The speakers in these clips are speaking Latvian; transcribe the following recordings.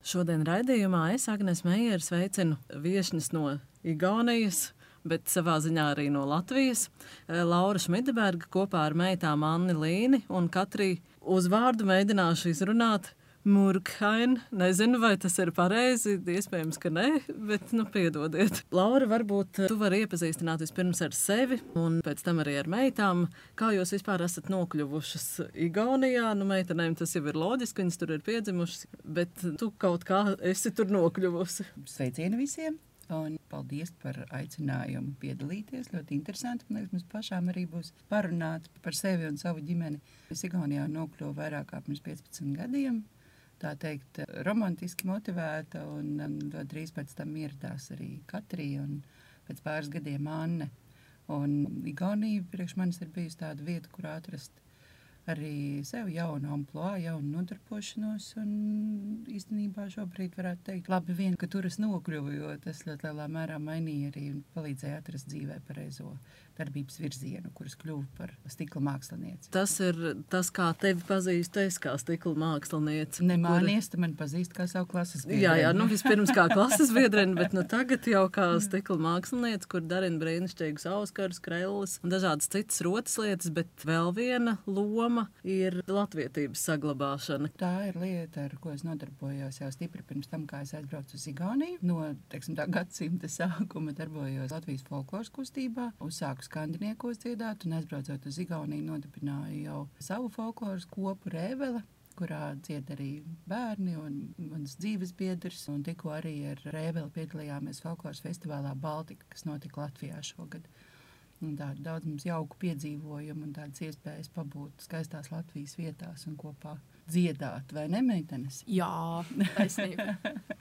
Šodien raidījumā es, Agnes Meijere, sveicinu viešņas no Igaunijas, bet savā ziņā arī no Latvijas. Laura Šmideberga kopā ar meitām Anni Līni un Katriju uzvārdu mēģināšu izrunāt Murkhain. Nezinu, vai tas ir pareizi, iespējams, ka nē, bet piedodiet. Laura, varbūt tu vari iepazīstināt vispirms ar sevi un pēc tam arī ar meitām. Kā jūs vispār esat nokļuvušas Igaunijā? Meitenēm tas jau ir loģiski, viņas tur ir piedzimušas, bet tu kaut kā esi tur nokļuvusi. Sveicieni visiem! Un paldies par aicinājumu piedalīties. Ļoti interesanti. Man liekas, mums pašām arī būs parunāt par sevi un savu ģimeni. Es Igaunijā nokļuvu vairāk kā pirms 15 gadiem. Tā teikt, romantiski motivēta, un ļoti drīz pēc tam ieradās arī Katrija un pēc pāris gadiem Anne. Un Igaunija priekš manis ir bijusi tāda vieta, kur atrast arī sev jaunu amploā, jaunu nodarbošanos, un īstenībā šobrīd varētu teikt, labi vien, ka tur es nokļuvu, jo tas ļoti lielā mērā mainīja arī un palīdzēja atrast dzīvē pareizo darbības virzienu, kuras kļuvu par stikla mākslinieci. Tas ir tas, kā tevi pazīst, es kā stikla mākslinieci. Nemānies, tu mani pazīst kā savu klases biedreni. Jā, vispirms kā klases biedreni, bet tagad jau kā stikla mākslinieci, kur darina brīnišķīgus auskarus, krellis un dažādas citas rotas lietas, bet vēl viena loma ir latvietības saglabāšana. Tā ir lieta, ar ko es nodarbojos jau stipri pirms tam, kā es aizbraucu uz Igauniju. No, tā gadsimta sākuma darbojos Latvijas folkloras kustībā, uzsāku skandiniekos dziedāt un aizbraucot uz Igauniju nodibināju jau savu folkloras kopu Rēvele, kurā dzied arī bērni un mans dzīves biedrs, un tikko arī ar Rēveli piedalījāmies folkloras festivālā Baltika, kas notika Latvijā šogad. Un tādu daudz mums jauku piedzīvojumu un tādas iespējas pabūt skaistās Latvijas vietās un kopā dziedāt, vai ne, meitenes? Jā, taisnība.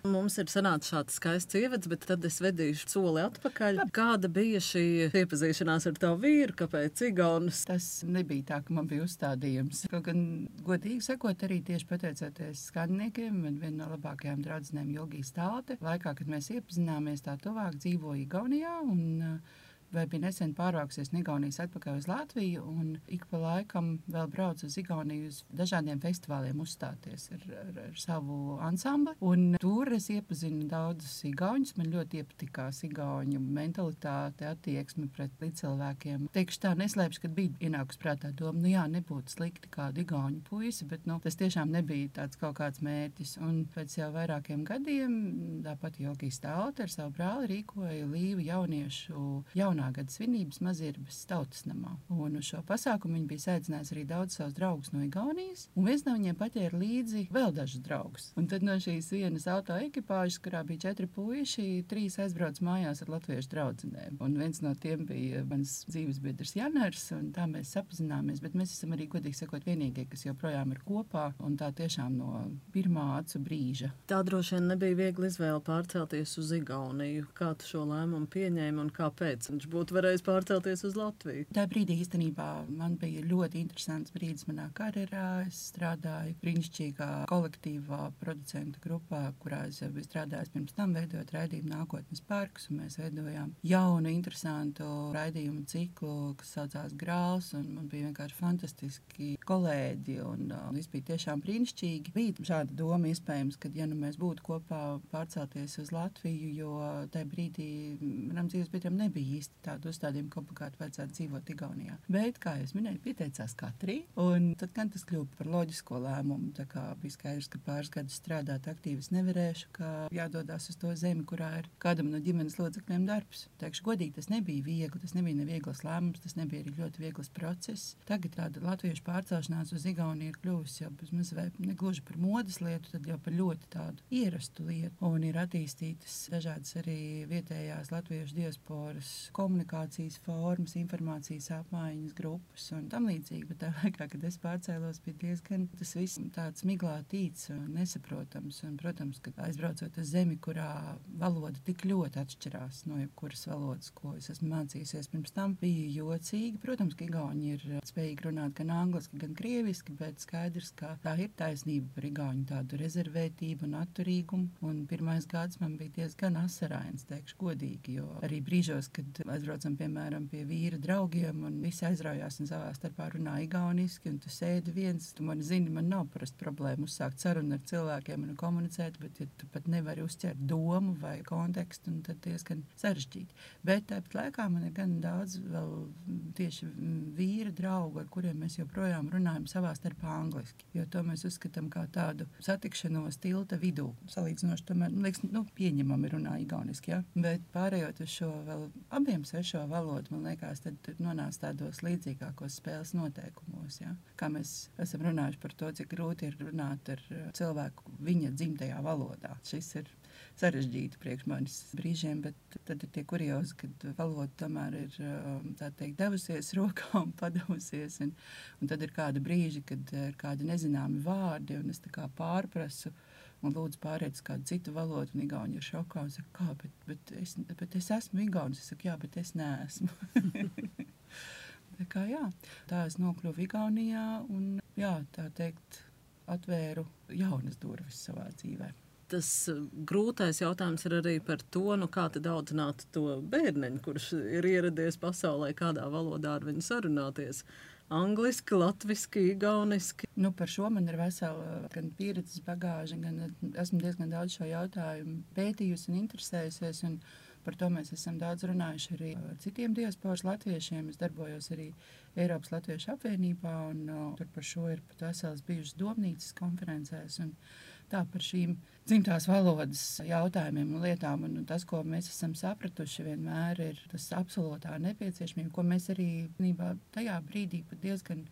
Mums ir sanācis šāds skaists ievads, bet tad es vedīšu soli atpakaļ. Kāda bija šī iepazīšanās ar tavu vīru, kāpēc Igaunas? Tas nebija tā, ka man bija uzstādījums. Kaut gan, godīgi sakot, arī tieši pateicoties skandiniekiem, man viena no labākajām draudzenēm Jogija Stālte, laikā, kad mēs iepazināmies tā tuvāk, dzīvoja Igaunijā un vai bija nesen pārvākusies no Igaunijas atpakaļ uz Latviju, un ik pa laikam vēl brauc uz Igauniju uz dažādiem festivāliem uzstāties ar savu ansambli. Un tur es iepazinu daudzus igauņus. Man ļoti iepatikās igauņu mentalitāte, attieksme pret līdzcilvēkiem. Teikšu tā, neslēpšu, kad bija ienākus prātā doma, jā, nebūtu slikti kādu igauņu puisi, bet tas tiešām nebija tāds kaut kāds mērķis. Un pēc jau vairākiem gadiem tāpat Jogija Stālte ar savu brāli rīkoja Līvu jauniešu gada svinības Mazirbas tautas namā. Un uz šo pasākumu viņi bija saicinājusi arī daudz savus draugus no Igaunijas, un viens no viņiem paķēra līdzi vēl dažus draugus. Un tad no šīs vienas auto ekipāžas, kurā bija 4 puiši, 3 aizbrauc mājās ar latviešu draudzenēm. Un viens no tiem bija mans dzīves biedrs Janars, un tā mēs sapazināmies, bet mēs esam arī, godīgi sakot, vienīgie, kas joprojām ir kopā, un tā tiešām no pirmā acu brīža. Tā droši vien nebija viegli izvēle pārcelties uz Igauniju. Kā tu šo lēmumu pieņēmi un kāpēc? Viņš būtu varējis pārcelties uz Latviju. Tā brīdī īstenībā man bija ļoti interesants brīdis manā karjerā. Es strādāju brīnišķīgā kolektīvā producentu grupā, kurā es jau biju strādājis pirms tam, veidojot raidījumu Nākotnes parks, un mēs veidojām jaunu, interesantu raidījumu ciklu, kas saucās Grāls, un man bija vienkārši fantastiski kolēģi, un viss bija tiešām brīnišķīgi. Bija šāda doma iespējams, ka, ja mēs būtu kopā pārcelties uz Latviju, jo tajā brīdī manam dzīves biedram nebija īsti tādu uzstādījumu, ka obligāti vajadzētu dzīvot Igaunijā. Bet, kā es minēju, pieteicās Katrija, un tad gan tas kļuva par loģisko lēmumu. Tā kā bija skaidrs, ka pāris gadus strādāt aktīvi es nevarēšu, ka jādodās uz to zemi, kurā ir kādam no ģimenes locekļiem darbs. Teikšu godīgi, tas nebija viegli, tas nebija neviegls lēmums, tas nebija arī ļoti viegls process. Tagad tāda latviešu pārcelšanās uz Igauniju ir kļuvusi jau bez vai negluži par modes lietu, tad jau par ļoti tādu ierastu lietu. Un ir attīstītas dažādas arī vietējās latviešu diasporas komunikācijas formas, informācijas apmaiņas grupas un tam līdzīgi, bet tā laikā, kad es pārcēlos, bija diezgan tas viss tāds miglātīts un nesaprotams. Un, protams, kad aizbraucot uz zemi, kurā valoda tik ļoti atšķirās no jebkuras valodas, ko es esmu mācījusies pirms tam, bija jocīgi. Protams, ka igauņi ir spējīgi runāt gan angliski, gan krieviski, bet skaidrs, ka tā ir taisnība par igauņu tādu rezervētību un atturīgumu. Un pirmais gads man bija diezgan asarains, teikšu godīgi, jo arī brīžos, kad aizbraucam, piemēram, pie vīra draugiem, un visi aizraujās un savā starpā runā igauniski, un tu sēdi viens, tu man zini, man nav parasti problēma uzsākt sarunu ar cilvēkiem un komunicēt, bet ja tu pat nevari uzķert domu vai kontekstu, un tad diezgan sarežģīti. Bet tāpat laikā man ir gan daudz vēl tieši vīra draugu, ar kuriem mēs joprojām runājam savā starpā angliski, jo to mēs uzskatām kā tādu satikšanos tilta vidū. Salīdzinoši tomēr, liekas, pieņemami runā igauniski, ja? Bet pārējot uz šo vēl abiem svešo valodu, man liekas, tad nonāc tādos līdzīgākos spēles noteikumos, ja? Kā mēs esam runājuši par to, cik grūti ir runāt ar cilvēku viņa dzimtajā valodā. Šis ir sarežģīti priekš manis brīžiem, bet tad ir tie kuriozi, kad valoda tomēr ir, tā teikt, devusies rokā un padavusies, un tad ir kādi brīži, kad ir kādi nezināmi vārdi, un es tā kā pārprasu, un lūdzu pāriet uz kādu citu valodu, un igauni ir šokā, un saka, kā, bet es esmu igaunis, es saku, jā, bet es neesmu. Tā es nokļuvu Igaunijā, un, tā teikt, atvēru jaunas durvis savā dzīvē. Tas grūtais jautājums ir arī par to, kā tad audzināt to bērneņu, kurš ir ieradies pasaulē, kādā valodā ar viņu sarunāties. Angliski, latviski, igauniski. Par šo man ir vesela gan pieredzes bagāža, gan esmu diezgan daudz šo jautājumu pētījusi un interesējusies, un par to mēs esam daudz runājuši arī ar citiem diasporas latviešiem. Es darbojos arī Eiropas Latviešu apvienībā, un tur par šo ir pat veselas bijušas domnīcas konferencēs, un tā par šīm dzimtās valodas jautājumiem un lietām, un tas, ko mēs esam sapratuši vienmēr, ir tas absolūtā nepieciešamība, ko mēs arī tajā brīdī pat diezgan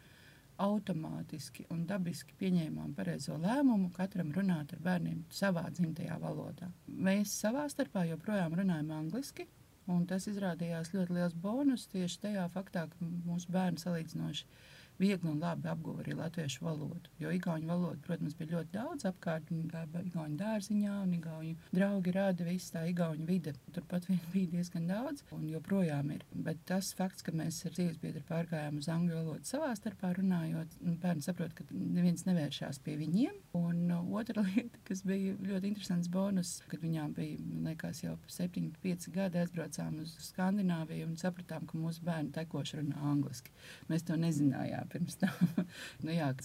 automātiski un dabiski pieņēmām pareizo lēmumu katram runāt ar bērniem savā dzimtajā valodā. Mēs savā starpā joprojām runājam angliski, un tas izrādījās ļoti liels bonus tieši tajā faktā, ka mūsu bērni salīdzinoši viegli un labi apguva arī latviešu valodu. Jo igauņu valodu, protams, bija ļoti daudz apkārt, un igauņu dārziņā, un igauņu draugi rāda visu tā igauņu vide. Turpat vien bija diezgan daudz, un joprojām ir. Bet tas fakts, ka mēs ar dzīves biedru pārgājām uz angļu valodu savā starpā runājot, bērni saprot, ka neviens nevēršās pie viņiem. Un otra lieta, kas bija ļoti interesants bonus, kad viņām bija, man liekas, jau 7-5 gadi aizbraucām uz Skandināviju un sapratām, ka mūsu bērni tekoši runā angliski. Mēs to nezinājām pirms tam.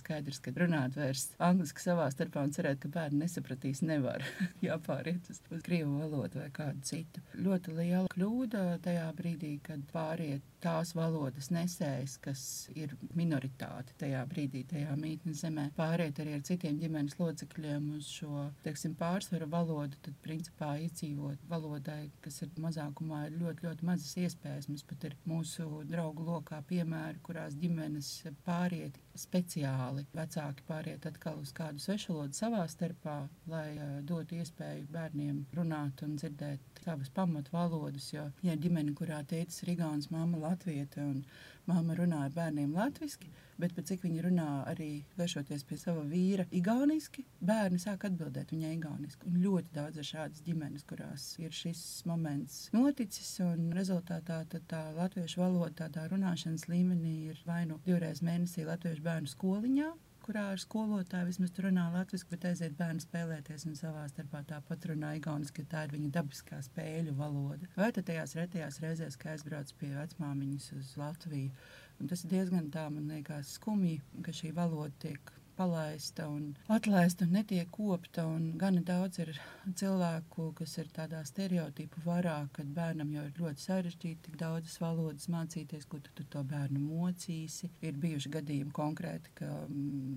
Skaidrs, ka runāt vairs angliski savā starpā un cerēt, ka bērni nesapratīs, nevar. Jāpāriet uz krievu valodu vai kādu citu. Ļoti liela kļūda tajā brīdī, kad pāriet tās valodas nesējs, kas ir minoritāte tajā brīdī, tajā mītnes zemē, pāriet arī ar citiem ģimenes locekļiem uz šo, pārsvaru valodu, tad principā izdzīvot valodai, kas ir mazākumā, ir ļoti, ļoti mazas iespējas. Mums pat ir mūsu draugu lokā piemēri, kurās ģimenes pāriet speciāli. Vecāki pāriet atkal uz kādu svešvalodu savā starpā, lai dotu iespēju bērniem runāt un dzirdēt savas pamatu valodas, jo ģimene, kurā tētis ir igaunis, mamma latviete un mamma runā ar bērniem latviski, bet pēc cik viņi runā arī vēršoties pie sava vīra igauniski, bērni sāk atbildēt viņai igauniski. Un ļoti daudz ir šādas ģimenes, kurās ir šis moments noticis, un rezultātā tad tā latviešu valoda tādā runāšanas līmenī ir vai nu 2 reizes mēnesī latviešu bērnu skoliņā, kurā ar skolotāju vismaz tur runā latviski, bet aiziet bērni spēlēties un savā starpā tāpat runā igauniski, tā ir viņa dabiskā spēļu valoda. Vai tad tajās retajās reizēs, ka aizbrauc pie vecmāmiņas uz Latviju, un tas ir diezgan tā, man liekas, skumji, ka šī valoda tiek palaista un atlaista un netiek kopta, un gana daudz ir cilvēku, kas ir tādā stereotipu varā, kad bērnam jau ir ļoti sarežģīti tik daudzas valodas mācīties, ko tu to bērnu mocīsi. Ir bijuši gadījumi konkrēti, ka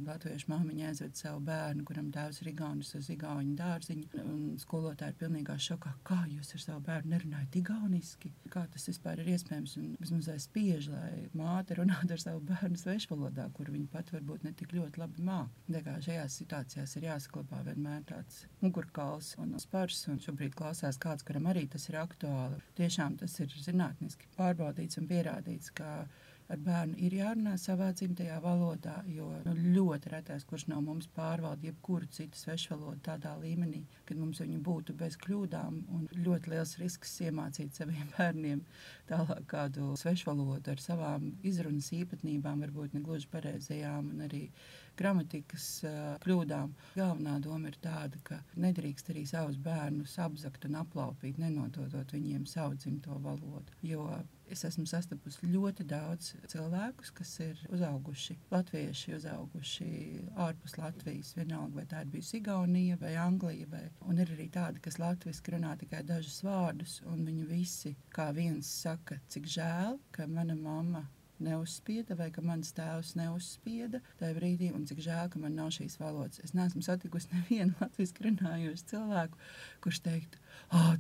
latviešu māmiņa aizved savu bērnu, kuram tēvs ir igaunis, uz igauņu dārziņu, un skolotāji ir pilnīgā šokā, kā jūs ar savu bērnu nerunājat igauniski? Kā tas vispār ir iespējams? Un vismaz spiež, lai māte runātu ar savu bērnu svešvalodā, kur viņa pat varbūt ne tik ļoti labi māk. Šajās situācijās ir jāsaklabā vienmēr tāds mugurkauls un spars, un šobrīd klausās kāds, kuram arī tas ir aktuāli. Tiešām tas ir zinātniski pārbaudīts un pierādīts, ka ar bērnu ir jārunā savā dzimtajā valodā, jo ļoti retais, kurš no mums pārvalda jebkuru citu svešvalodu tādā līmenī, kad mums viņi būtu bez kļūdām, un ļoti liels risks iemācīt saviem bērniem tālāk kādu svešvalodu ar savām izrunas īpatnībām, varbūt ne gluži pareizajām, un arī gramatikas kļūdām. Galvenā doma ir tāda, ka nedrīkst arī savus bērnus apzakt un aplaupīt, nenododot viņiem savu dzimto valodu. Jo es esmu sastapusi ļoti daudz cilvēkus, kas ir uzauguši latvieši, uzauguši ārpus Latvijas, vienalga, vai tā ir bijusi Igaunija vai Anglija, un ir arī tādi, kas latviski runā tikai dažus vārdus, un viņi visi kā viens saka, cik žēl, ka mana mamma neuzspieda vai ka mans tēvs neuzspieda tajā brīdī, un cik žēl, ka man nav šīs valodas. Es neesmu satikusi nevienu latviski runājošu cilvēku, kurš teiktu,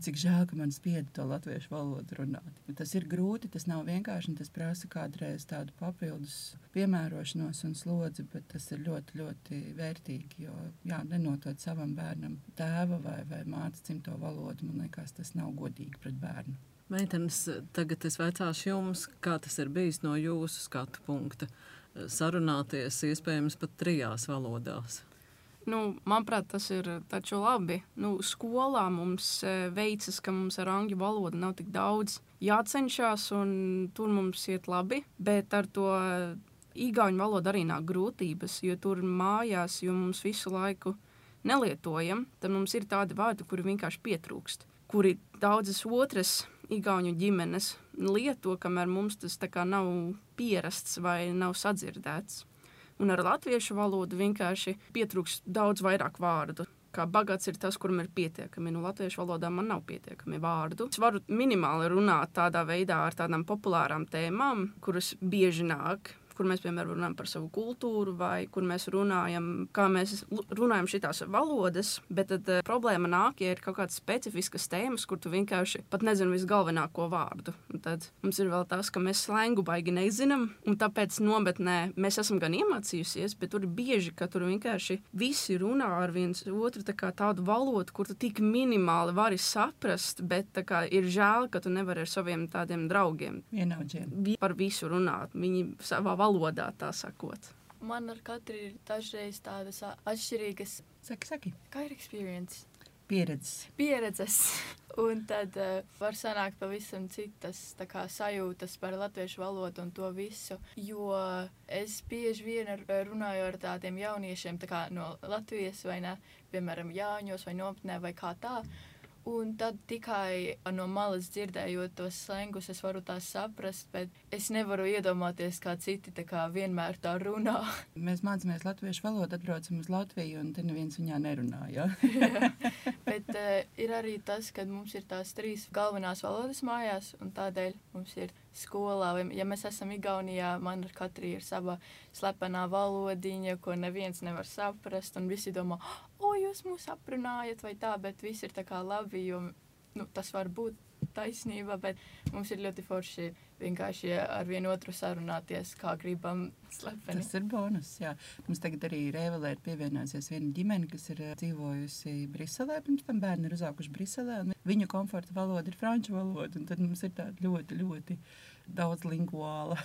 cik žēl, ka man spieda to latviešu valodu runāt. Tas ir grūti, tas nav vienkārši, un tas prasa kādreiz tādu papildus piemērošanos un slodzi, bet tas ir ļoti, ļoti vērtīgi, jo, nenotot savam bērnam tēva vai mātes dzimto valodu, man liekas, tas nav godīgi pret bērnu. Meitenes, tagad es vaicāšu jums, kā tas ir bijis no jūsu skatu punkta. Sarunāties iespējams pat 3 valodās. Manuprāt, tas ir taču labi. Skolā mums veicas, ka mums ar angļu valodu nav tik daudz jācenšas, un tur mums iet labi, bet ar to igauņu valodu arī nāk grūtības, jo tur mājās, jo mums visu laiku nelietojam, tad mums ir tādi vārdi, kuri vienkārši pietrūkst, kuri daudzas otras igauņu ģimenes lieto, kamēr mums tas tā kā nav pierasts vai nav sadzirdēts. Un ar latviešu valodu vienkārši pietrūkst daudz vairāk vārdu. Kā bagāts ir tas, kuram ir pietiekami. Latviešu valodā man nav pietiekami vārdu. Es varu minimāli runāt tādā veidā ar tādām populārām tēmām, kuras bieži nāk, kur mēs, piemēram, runājam par savu kultūru vai kur mēs runājam, kā mēs runājam šitās valodas, bet tad problēma nāk, ja ir kaut kādas specifiskas tēmas, kur tu vienkārši pat nezini visgalvenāko vārdu. Un tad mums ir vēl tas, ka mēs slengu baigi nezinām, un tāpēc nometnē mēs esam gan iemācījusies, bet tur ir bieži, ka tur vienkārši visi runā ar viens otru tādu valodu, kur tu tik minimāli vari saprast, bet ir žēl, ka tu nevari ar saviem tādiem draugiem vienaudžiem par visu runāt. Viņi savā valodā, tā sakot. Man ar katru ir dažreiz tādas atšķirīgas. Saki. Kā ir experience? Pieredzes. Un tad var sanākt pavisam citas sajūtas par latviešu valodu un to visu, jo es bieži vien runāju ar tādiem jauniešiem no Latvijas vai ne, piemēram, Jāņos vai nometnē vai kā tā. Un tad tikai no malas dzirdējot tos slengus, es varu tās saprast, bet es nevaru iedomāties, kā citi vienmēr tā runā. Mēs mācāmies latviešu valodu, atbraucam uz Latviju, un te neviens viņā nerunā, jā? Bet ir arī tas, ka mums ir tās 3 galvenās valodas mājās, un tādēļ mums ir skolā, vai, ja mēs esam Igaunijā, man ar katru ir sava slepenā valodiņa, ko neviens nevar saprast, un visi domā, jūs mūs aprunājat vai tā, bet viss ir labi, jo tas var būt taisnība, bet mums ir ļoti forši vienkārši ar vienu otru sarunāties, kā gribam slepeni. Tas ir bonus, jā. Mums tagad arī Rēvelē ir pievienojusies viena ģimene, kas ir dzīvojusi Briselē, pirms tam bērni ir uzauguši Briselē, un viņu komforta valoda ir franču valoda, un tad mums ir tāda ļoti, ļoti daudz lingvāla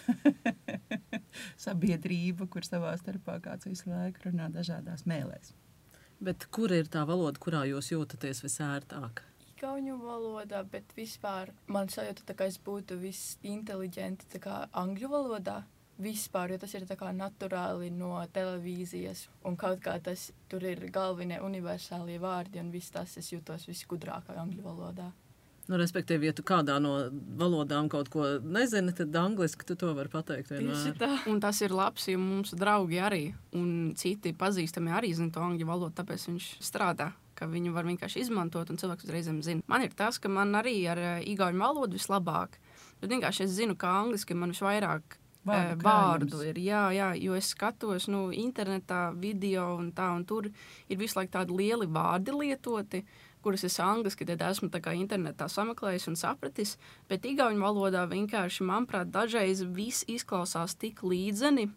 sabiedrība, kur savā starpā kāds visu laiku runā dažādās mēlēs. Bet kur ir tā valoda, kurā jūs jūtaties visērtāk? Igauņu valodā, bet vispār man sajūta, ka es būtu visinteliģenti angļu valodā. Vispār, jo tas ir naturāli no televīzijas, un kaut kā tur ir galvenie universālie vārdi, un viss tas es jūtos visgudrākā angļu valodā. Respektīvi, ja tu kādā no valodām kaut ko nezini, tad angliski tu to vari pateikt vienmēr. Tieši tā. Un tas ir labs, jo mums draugi arī, un citi pazīstami arī zina to angļu valodu, tāpēc viņš strādā, ka viņu var vienkārši izmantot, un cilvēks uzreizēm zina. Man ir tas, ka man arī ar igauņu valodu vislabāk, bet vienkārši es zinu, ka angliski man visvairāk vārdu ir, jā, jo es skatos internetā video un tā, un tur ir visu laiku tādi lieli vārdi lietoti, kuras es angliski tad esmu internetā sameklējis un sapratis, bet igauņu valodā vienkārši, manuprāt, dažreiz viss izklausās tik līdzeni,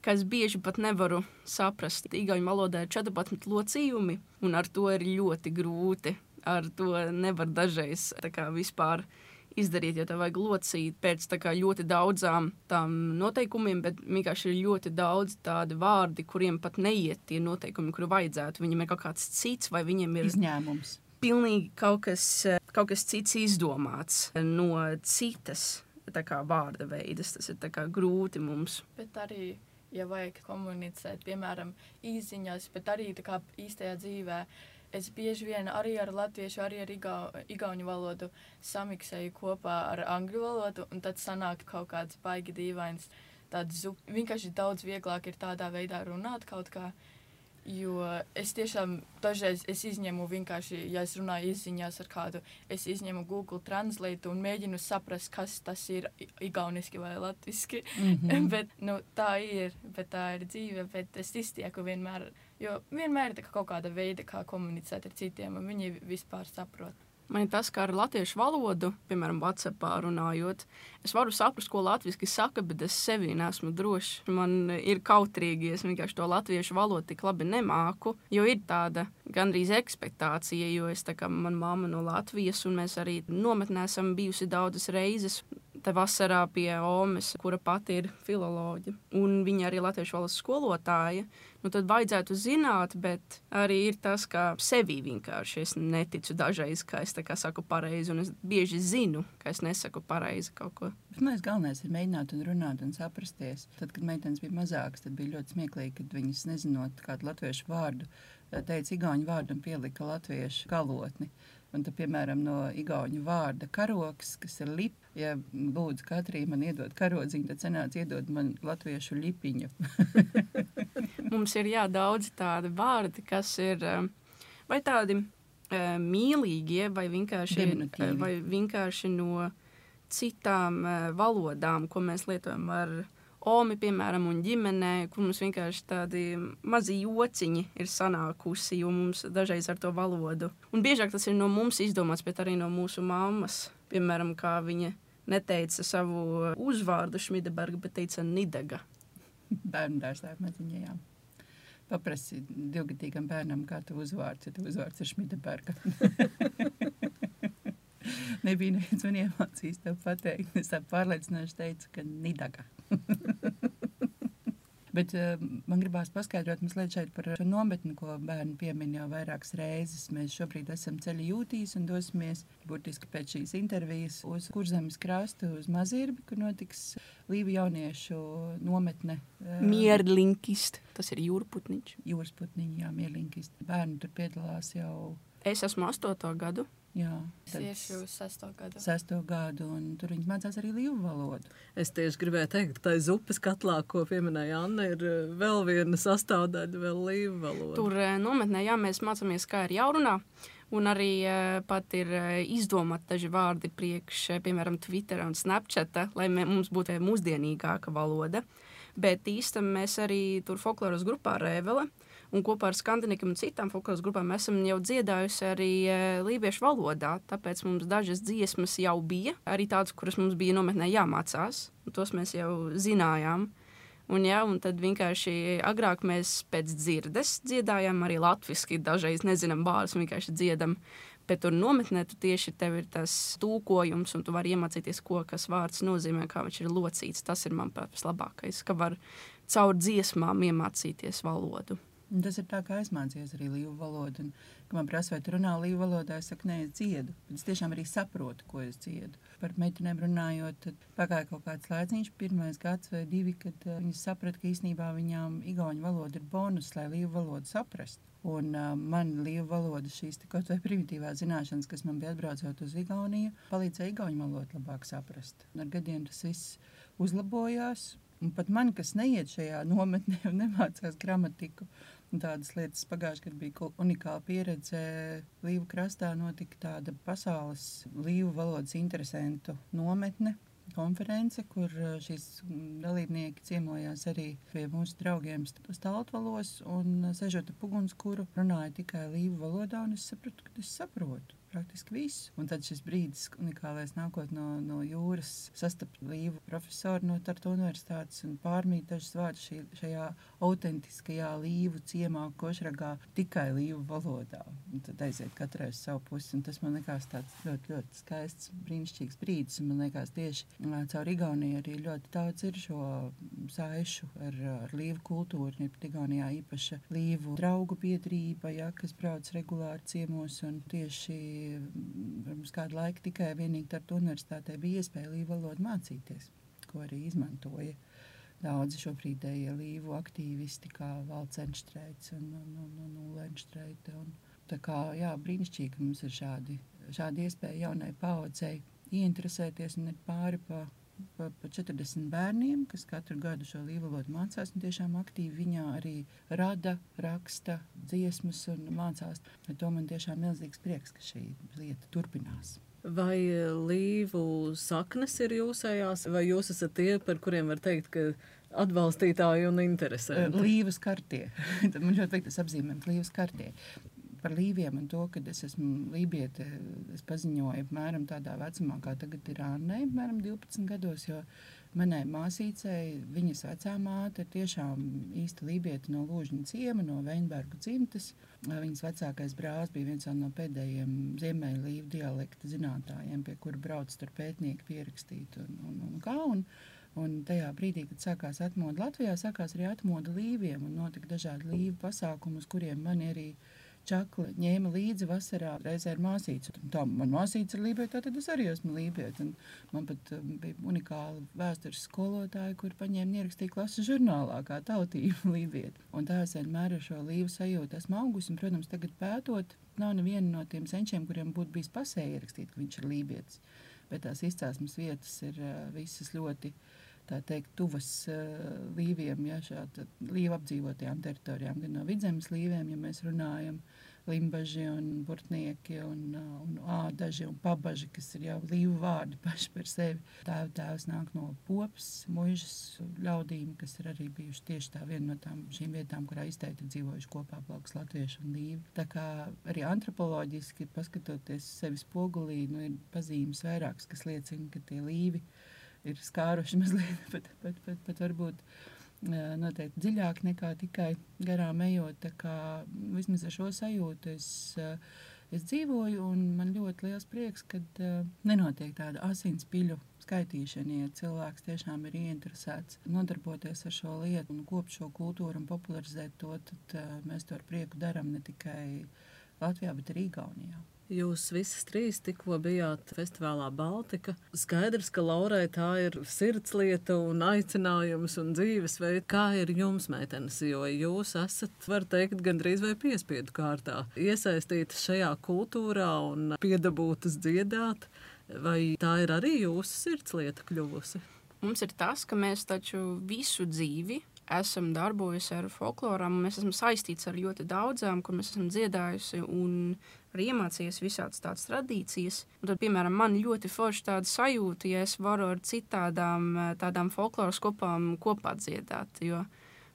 ka es bieži pat nevaru saprast. Igauņu valodā ir 14 locījumi, un ar to ir ļoti grūti. Ar to nevar dažreiz vispār izdarīt, jo tev vajag locīt pēc ļoti daudzām tām noteikumiem, bet vienkārši ir ļoti daudz tādi vārdi, kuriem pat neiet tie noteikumi, kuri vajadzētu. Viņiem ir kaut kāds cits, vai viņiem ir izņēmums. Pilnīgi kaut kas cits izdomāts no citas vārda veidas. Tas ir grūti mums. Bet arī ja vajag komunicēt, piemēram, īsziņās, bet arī tā kā īstajā dzīvē. Es bieži vien arī ar latviešu, arī ar igauņu valodu samiksēju kopā ar angļu valodu, un tad sanāk kaut kāds baigi dīvains tāds vienkārši daudz vieglāk ir tādā veidā runāt kaut kā, jo es tiešām dažreiz izņemu vienkārši, ja es runāju izziņās ar kādu, es izņemu Google Translate un mēģinu saprast, kas tas ir igauniski vai latviski, bet, tā ir dzīve, bet es iztieku vienmēr, jo vienmēr ir kaut kāda veida, kā komunicēt ar citiem, un viņi vispār saprot. Man ir tas, kā ar latviešu valodu, piemēram, WhatsAppā runājot, es varu saprast, ko latviski saka, bet es sevī neesmu drošs. Man ir kautrīgi, es vienkārši to latviešu valodu tik labi nemāku, jo ir tāda gandrīz ekspektācija, jo man mamma no Latvijas, un mēs arī nometnē esam bijusi daudzas reizes. Te vasarā pie Omes, kura pati ir filoloģe, un viņa arī latviešu valodas skolotāja, tad vajadzētu zināt, bet arī ir tas, ka sevī vienkārši es neticu dažreiz, ka es saku pareizi, un es bieži zinu, ka es nesaku pareizi kaut ko. Bet galvenais ir mēģināt un runāt un saprasties. Tad, kad meitenes bija mazākas, tad bija ļoti smieklīgi, kad viņas nezinot kādu latviešu vārdu, teica igauņu vārdu un pielika latviešu galotni. Un tad, piemēram, no igauņu vārda karoks, kas ir lip, ja lūdzu Katrī man iedod karodziņu, tad sanāca iedod man latviešu lipiņu. Mums ir daudz tādi vārdi, kas ir vai tādi mīlīgie, vai vienkārši no citām valodām, ko mēs lietojam ar Omi, piemēram, un ģimenē, kur mums vienkārši tādi mazi jociņi ir sanākusi, jo mums dažreiz ar to valodu. Un biežāk tas ir no mums izdomāts, bet arī no mūsu mammas. Piemēram, kā viņa neteica savu uzvārdu Šmideberga, bet teica Nidega. Bērnu dārzā maziņajām. Paprasi 2-gadīgam bērnam, kā tu uzvārds, ja tu uzvārds ir Šmideberga. Nebija neviens man iemācījis tev pateikt. Es tā pārliecinoši teicu, ka Nidaga. Bet man gribās paskaidrot mazliet šeit par nometni, ko bērni piemin jau vairākas reizes. Mēs šobrīd esam ceļa jūtīs un dosimies burtiski pēc šīs intervijas uz Kurzemes krastu, uz Mazirbi, kur notiks Līvu jauniešu nometne. Mierlinkist, tas ir jūrputniņš. Jūrsputniņi, jā, mierlinkist. Bērni tur piedalās jau... Es esmu 8. gadu. Jā, es iešu 6. gadu. 6. gadu, un tur viņi mācās arī līvu valodu. Es tieši gribēju teikt, ka tā upes katlā, ko pieminēja Anna, ir vēl viena sastāvdaļa, vēl līvu valoda. Tur nometnē, mēs mācāmies, kā ir jārunā, un arī pat ir izdomāt daži vārdi priekš, piemēram, Twittera un Snapchata, lai mums būtu mūsdienīgāka valoda. Bet īstenībā mēs arī tur folkloras grupā Rēvele, un kopā ar Skandinikiem un citām folkloras grupām mēs esam jau dziedājusi arī lībiešu valodā, tāpēc mums dažas dziesmas jau bija, arī tādas, kuras mums bija nometnē jāmācās, un tos mēs jau zinājām. Un tad vienkārši agrāk mēs pēc dzirdes dziedājām arī latviski, dažreiz nezinām vārdus, vienkārši dziedam, bet tur nometnē tu tieši tev ir tas tūkojums, un tu vari iemācīties, ko kas vārds nozīmē, kā viņš ir locīts. Tas ir, manuprāt, vislabākais, ka var caur dziesmām iemācīties valodu. Un tas ir tā, kā es mācījos arī līvu valodu. Un, kad man prasa, vai tu runā līvu valodā, es saku, nē, es dziedu. Bet es tiešām arī saprotu, ko es dziedu. Par meitenēm runājot, tad pagāja kaut kāds laiks, 1 gads vai 2, kad viņas saprata, ka īstenībā viņām igauņu valoda ir bonus, lai līvu valodu saprast. Un man līvu valoda šīs kaut vai primitīvās zināšanas, kas man bija atbraucot uz Igauniju, palīdzēja igauņu valodu labāk saprast. Un ar gadiem tas viss uzlabojās. Un pat man, kas neiet šajā nometnē un nemācās gramatiku, un tādas lietas pagājušajā gadā bija unikāla pieredze. Līvu krastā notika tāda pasaules līvu valodas interesantu nometne, konference, kur šīs dalībnieki ciemojās arī pie mūsu draugiem Staltvalos un sežot ap ugunskura runāja tikai līvu valodā, un es sapratu, ka es saprotu praktiski visu. Un tad šis brīdis unikālais nākot no jūras sastapt līvu profesoru no Tartu universitātes un pārmīt dažas vārdus šajā autentiskajā līvu ciemā Košragā tikai līvu valodā. Un tad aiziet katrai uz savu pusi. Un tas man likās tāds ļoti, ļoti skaists, brīnišķīgs brīdis. Un man likās tieši caur Igauniju arī ļoti daudz ir šo saišu ar līvu kultūru. Ir Igaunijā īpaša līvu draugu biedrība, kas brauc regulāri ciemos, un tieši pirms kādu laiku tikai vienīgi Tartu universitātē bija iespēja līvu valodu mācīties, ko arī izmantoja. daudzi šobrīdējie līvu aktīvisti, kā Valds Enštreits un Ulle Enštreite. Tā kā, jā, brīnišķīgi, ka mums ir šādi iespēja jaunai paaudzei ieinteresēties un ir pāri pa 40 bērniem, kas katru gadu šo līvu valodu mācās un tiešām aktīvi viņā arī rada, raksta dziesmas un mācās. To man tiešām milzīgs prieks, ka šī lieta turpinās. Vai līvu saknes ir jūsējās, vai jūs esat tie, par kuriem var teikt, ka atbalstītāji un interesanti? Līvas kartie. Man ļoti patīk tas apzīmējums, līvas kartie. Par līviem un to, kad es esmu lībiete, es paziņoju apmēram tādā vecumā, kā tagad ir Annei, apmēram 12 gados, jo manai māsīcei, viņas vecā māte ir tiešām īsta lībiete no Lūžņa ciema, no Veinbergu dzimtes. Viņas vecākais brālis bija viens no pēdējiem ziemeļu līvu dialekta zinātājiem, pie kura brauc tur pētnieki pierakstīt un kā. Un tajā brīdī, kad sākās atmoda Latvijā, sākās arī atmoda līviem un notika dažādi līvu pasākumi, uz kuriem mani arī čakli ņēma līdzi vasarā reizē ar māsīcu. Tā, man māsīca ir lībieta, tad es arī esmu lībieta. Un man pat bija unikāla vēstures skolotāja, kur paņēma ierakstīja klases žurnālā kā tautība lībieta. Un tā es vienmēr ar šo līvu sajūtu esmu augusi. Un, protams, tagad pētot, nav neviena no tiem senčiem, kuriem būtu bijis pasē ierakstīt, ka viņš ir lībietis. Bet tās izcelsmes vietas ir visas ļoti, tā teikt, tuvas līviem, ja, šāda līva apdzīvotajām teritorijām, gan no Vidzemes līviem, ja mēs runājam, Limbaži un Burtnieki un Ādaži un Pabaži, kas ir jau līvu vārdi paši par sevi. Tēvs nāk no Popas, Muižas ļaudīm, kas ir arī bijuši tieši tā viena no šīm vietām, kurā izteikti dzīvojuši kopā blakus latvieši un līvi. Tā kā arī antropoloģiski, paskatoties sevi spogulī, ir pazīmes vairākas, kas liecina, ka tie līvi ir skāruši mazliet, pat varbūt noteikti dziļāk nekā tikai garām ejot. Tā kā vismaz ar šo sajūtu es dzīvoju, un man ļoti liels prieks, kad nenotiek tāda asinspiļu skaitīšana, ja cilvēks tiešām ir ieinteresēts nodarboties ar šo lietu un kopt šo kultūru un popularizēt to, tad mēs to ar prieku darām ne tikai Latvijā, bet arī Igaunijā. Jūs visas trīs tikko bijāt festivālā Baltika. Skaidrs, ka Laurai tā ir sirdslieta un aicinājums un dzīvesveids. Kā ir jums, meitenes, jo jūs esat, var teikt, gandrīz vai piespiedu kārtā iesaistītas šajā kultūrā un piedabūtas dziedāt, vai tā ir arī jūsu sirdslieta kļuvusi? Mums ir tas, ka mēs taču visu dzīvi esam darbojusi ar folklorām, mēs esam saistīts ar ļoti daudzām, kur mēs esam dziedājusi un arī iemācījies visādas tādas tradīcijas. Un tad, piemēram, man ļoti forši tāda sajūta, ja es varu ar tādām folkloras kopām kopā dziedāt, jo,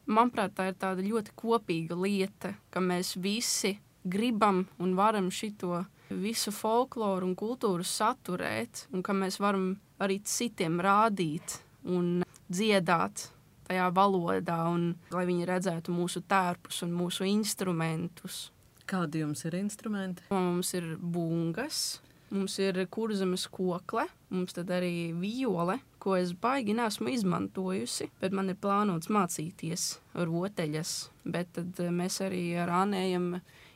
manuprāt, tā ir tāda ļoti kopīga lieta, ka mēs visi gribam un varam šito visu folkloru un kultūru saturēt, un ka mēs varam arī citiem rādīt un dziedāt tajā valodā, un lai viņi redzētu mūsu tērpus un mūsu instrumentus. Kādi jums ir instrumenti? Mums ir bungas, mums ir kurzemes kokle, mums tad arī viole, ko es baigi neesmu izmantojusi, bet man ir plānots mācīties roteļas. Bet tad mēs arī ar Annējam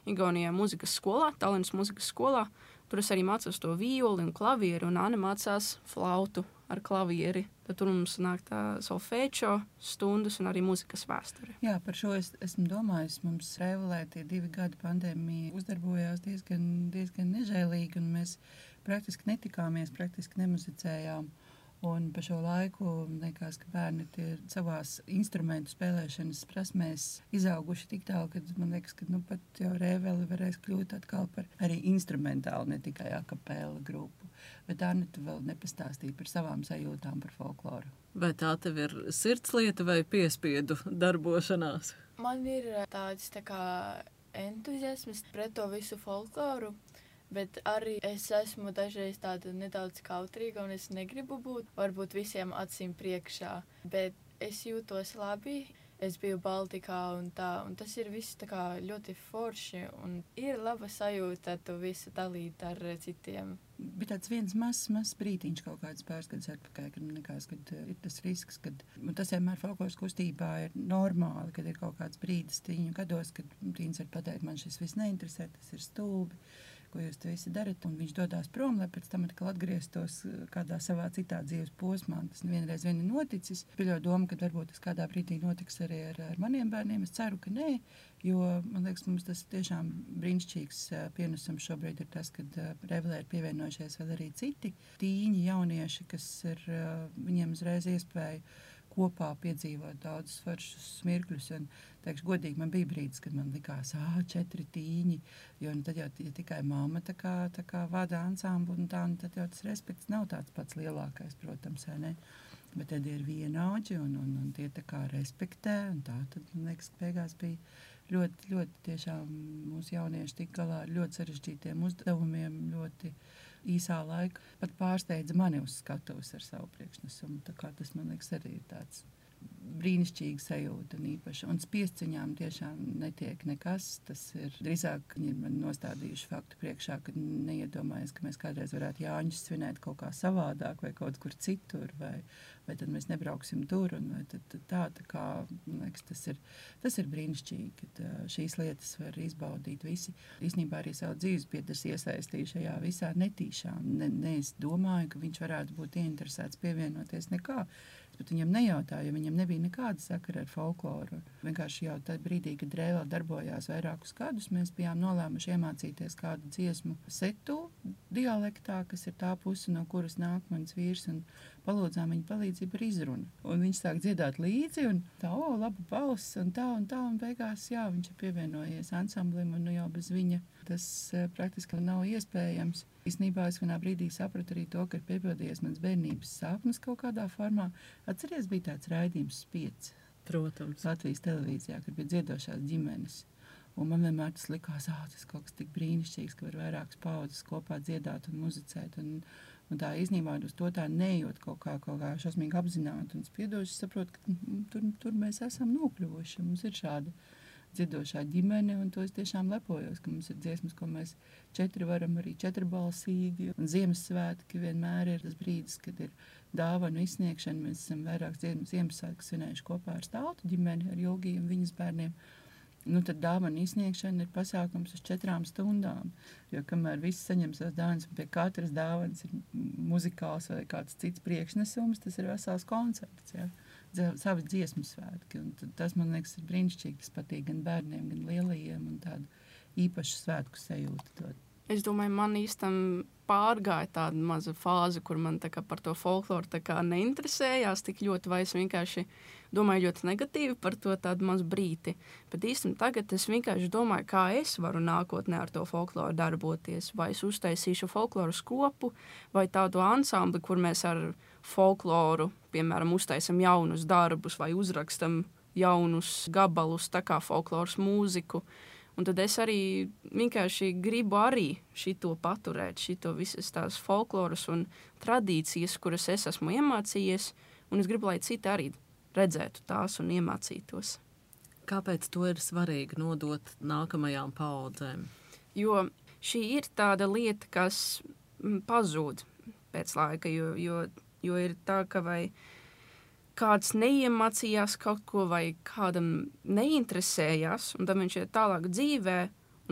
Igaunijā muzikas skolā, Tallinas muzikas skolā. Tur es arī mācos to violi un klavieri, un Anne mācās flautu ar klavieri. Tad tur mums nāk tā solfēčo stundas un arī muzikas vēsture. Jā, par šo esmu domājis. Mums Rēvelē tie 2 gadi pandēmija uzdarbojās diezgan nežēlīgi, un mēs praktiski netikāmies, praktiski nemuzicējām. Un pa šo laiku liekas, ka bērni ir savās instrumentu spēlēšanas prasmēs izauguši tik tālu, ka man liekas, ka pat jau Rēveli varēs kļūt atkal par arī instrumentālu, ne tikai akapela grupu. Bet Anneta vēl nepastāstīja par savām sajūtām par folkloru. Vai tā tev ir sirdslieta vai piespiedu darbošanās? Man ir tāds tā kā entuziasms pret to visu folkloru. Bet arī es esmu dažreiz tāda nedaudz kautrīga, un es negribu būt varbūt visiem acīm priekšā. Bet es jūtos labi, es biju Baltikā un tā, un tas ir viss tā kā ļoti forši, un ir laba sajūta to visu dalīt ar citiem. Bija tāds viens mazs brītiņš kaut kāds pāris gadus atpakaļ, kad man likās, ka ir tas risks, ka tas vienmēr folkloras kustībā ir normāli, kad ir kaut kāds brīdis tīņu gados, kad tīņas var pateikt, man šis viss neinteresē, tas ir stulbi. ko jūs te visi darat, un viņš dodās prom, lai pēc tam atkal atgrieztos kādā savā citā dzīves posmā. Tas vienreiz vien ir noticis. Pieļauju domu, ka varbūt tas kādā brīdī notiks arī ar maniem bērniem. Es ceru, ka nē, jo, man liekas, mums tas tiešām brīnišķīgs pienesums šobrīd ir tas, kad Revelē ir pievienojušies vēl arī citi tīņi jaunieši, kas ir viņiem uzreiz iespēja kopā piedzīvot daudzus foršus mirkļus. Un, teikšu, godīgi, man bija brīdis, kad man likās, 4 tīņi, jo tad jau ja tikai mamma tā kā vada ansamblu un tā, un tad jau tas respekts nav tāds pats lielākais, protams, vai ne? Bet tad ir vienaudži un tie tā kā respektē, un tā tad, man liekas, beigās bija ļoti, ļoti tiešām mūsu jaunieši tik galā ar ļoti sarežģītiem uzdevumiem, ļoti īsā laika pat pārsteidza mani uz skatuves ar savu priekšnesumu. Tā kā tas, man liekas, arī ir tāds brīnišķīga sajūta un īpaši. Un spiesciņām tiešām netiek nekas. Tas ir drīzāk, viņi man nostādījuši faktu priekšā, ka neiedomājas, ka mēs kādreiz varētu Jāņus svinēt kaut kā savādāk vai kaut kur citur, vai tad mēs nebrauksim tur. Un vai tad tā kā, man liekas, tas ir brīnišķīgi, kad šīs lietas var izbaudīt visi. Īstenībā arī savu dzīves biedrs iesaistīja šajā visā netīšām. Ne es domāju, ka viņš varētu būt ieinteresēts pievienoties nekā. Bet viņam nejautāja, jo viņam nebija nekāda sakara ar folkloru. Vienkārši jau tajā brīdī, kad Rēvā darbojās vairākus gadus, mēs bijām nolēmuši iemācīties kādu dziesmu setu dialektā, kas ir tā puse, no kuras nāk mans vīrs, un palūdzām viņa palīdzību ar izrunu. Un viņš sāk dziedāt līdzi, un tā, laba balss, un tā, un beigās, jā, viņš ir pievienojies ansamblim, un nu jau bez viņa tas praktiski nav iespējams. Īstenībā es vienā brīdī sapratu arī to, ka ir piepildījies mans bērnības sapnis kaut kādā formā. Atceries, bija tāds raidījums Spiedz. Protams. Latvijas televīzijā, kad bija dziedošās ģimenes. Un man vienmēr tas likās, tas kaut kas tik brīnišķīgs, ka var vairākas paudzes kopā dziedāt un muzicēt. Un tā īstenībā uz to tā neejot kaut kā šausmīgi apzināti un spiedoši, saprotu, ka tur mēs esam nokļuvuši. Mums ir šāda dziedošā ģimene, un to es tiešām lepojos, ka mums ir dziesmas, ko mēs 4 varam arī 4-balsīgi. Un Ziemassvētki vienmēr ir tas brīdis, kad ir dāvanu izsniegšana. Mēs esam vairākas Ziemassvētkus svinējuši kopā ar Staltu ģimeni, ar Julgiju un viņas bērniem. Nu, tad dāvanu izsniegšana ir pasākums uz 4 stundām, jo kamēr visi saņem savas dāvanas, pie katras dāvanas ir muzikāls vai kāds cits priekšnesums, tas ir vesels koncerts, jā. Savi dziesmu svētki, un tas, man liekas, ir brīnišķīgi, tas patīk gan bērniem, gan lielajiem, un tādu īpašu svētku sajūtu dod. Es domāju, man īstam pārgāja tāda maza fāze, kur man tā kā par to folkloru tā kā neinteresējās tik ļoti, vai es vienkārši domāju ļoti negatīvi par to tādu mazu brīti. Bet īstam tagad es vienkārši domāju, kā es varu nākotnē ar to folkloru darboties. Vai es uztaisīšu folkloru skopu, vai tādu ansambli, kur mēs ar folkloru, piemēram, uztaisam jaunus darbus vai uzrakstam jaunus gabalus, tā kā folkloras mūziku. Un tad es arī vienkārši gribu arī šito paturēt, šito visas tās folkloras un tradīcijas, kuras es esmu iemācījies, un es gribu, lai citi arī redzētu tās un iemācītos. Kāpēc to ir svarīgi nodot nākamajām paaudzēm? Jo šī ir tāda lieta, kas pazūd pēc laika, jo ir tā, ka vai kāds neiemācījās kaut ko vai kādam neinteresējās, un tad viņš ir tālāk dzīvē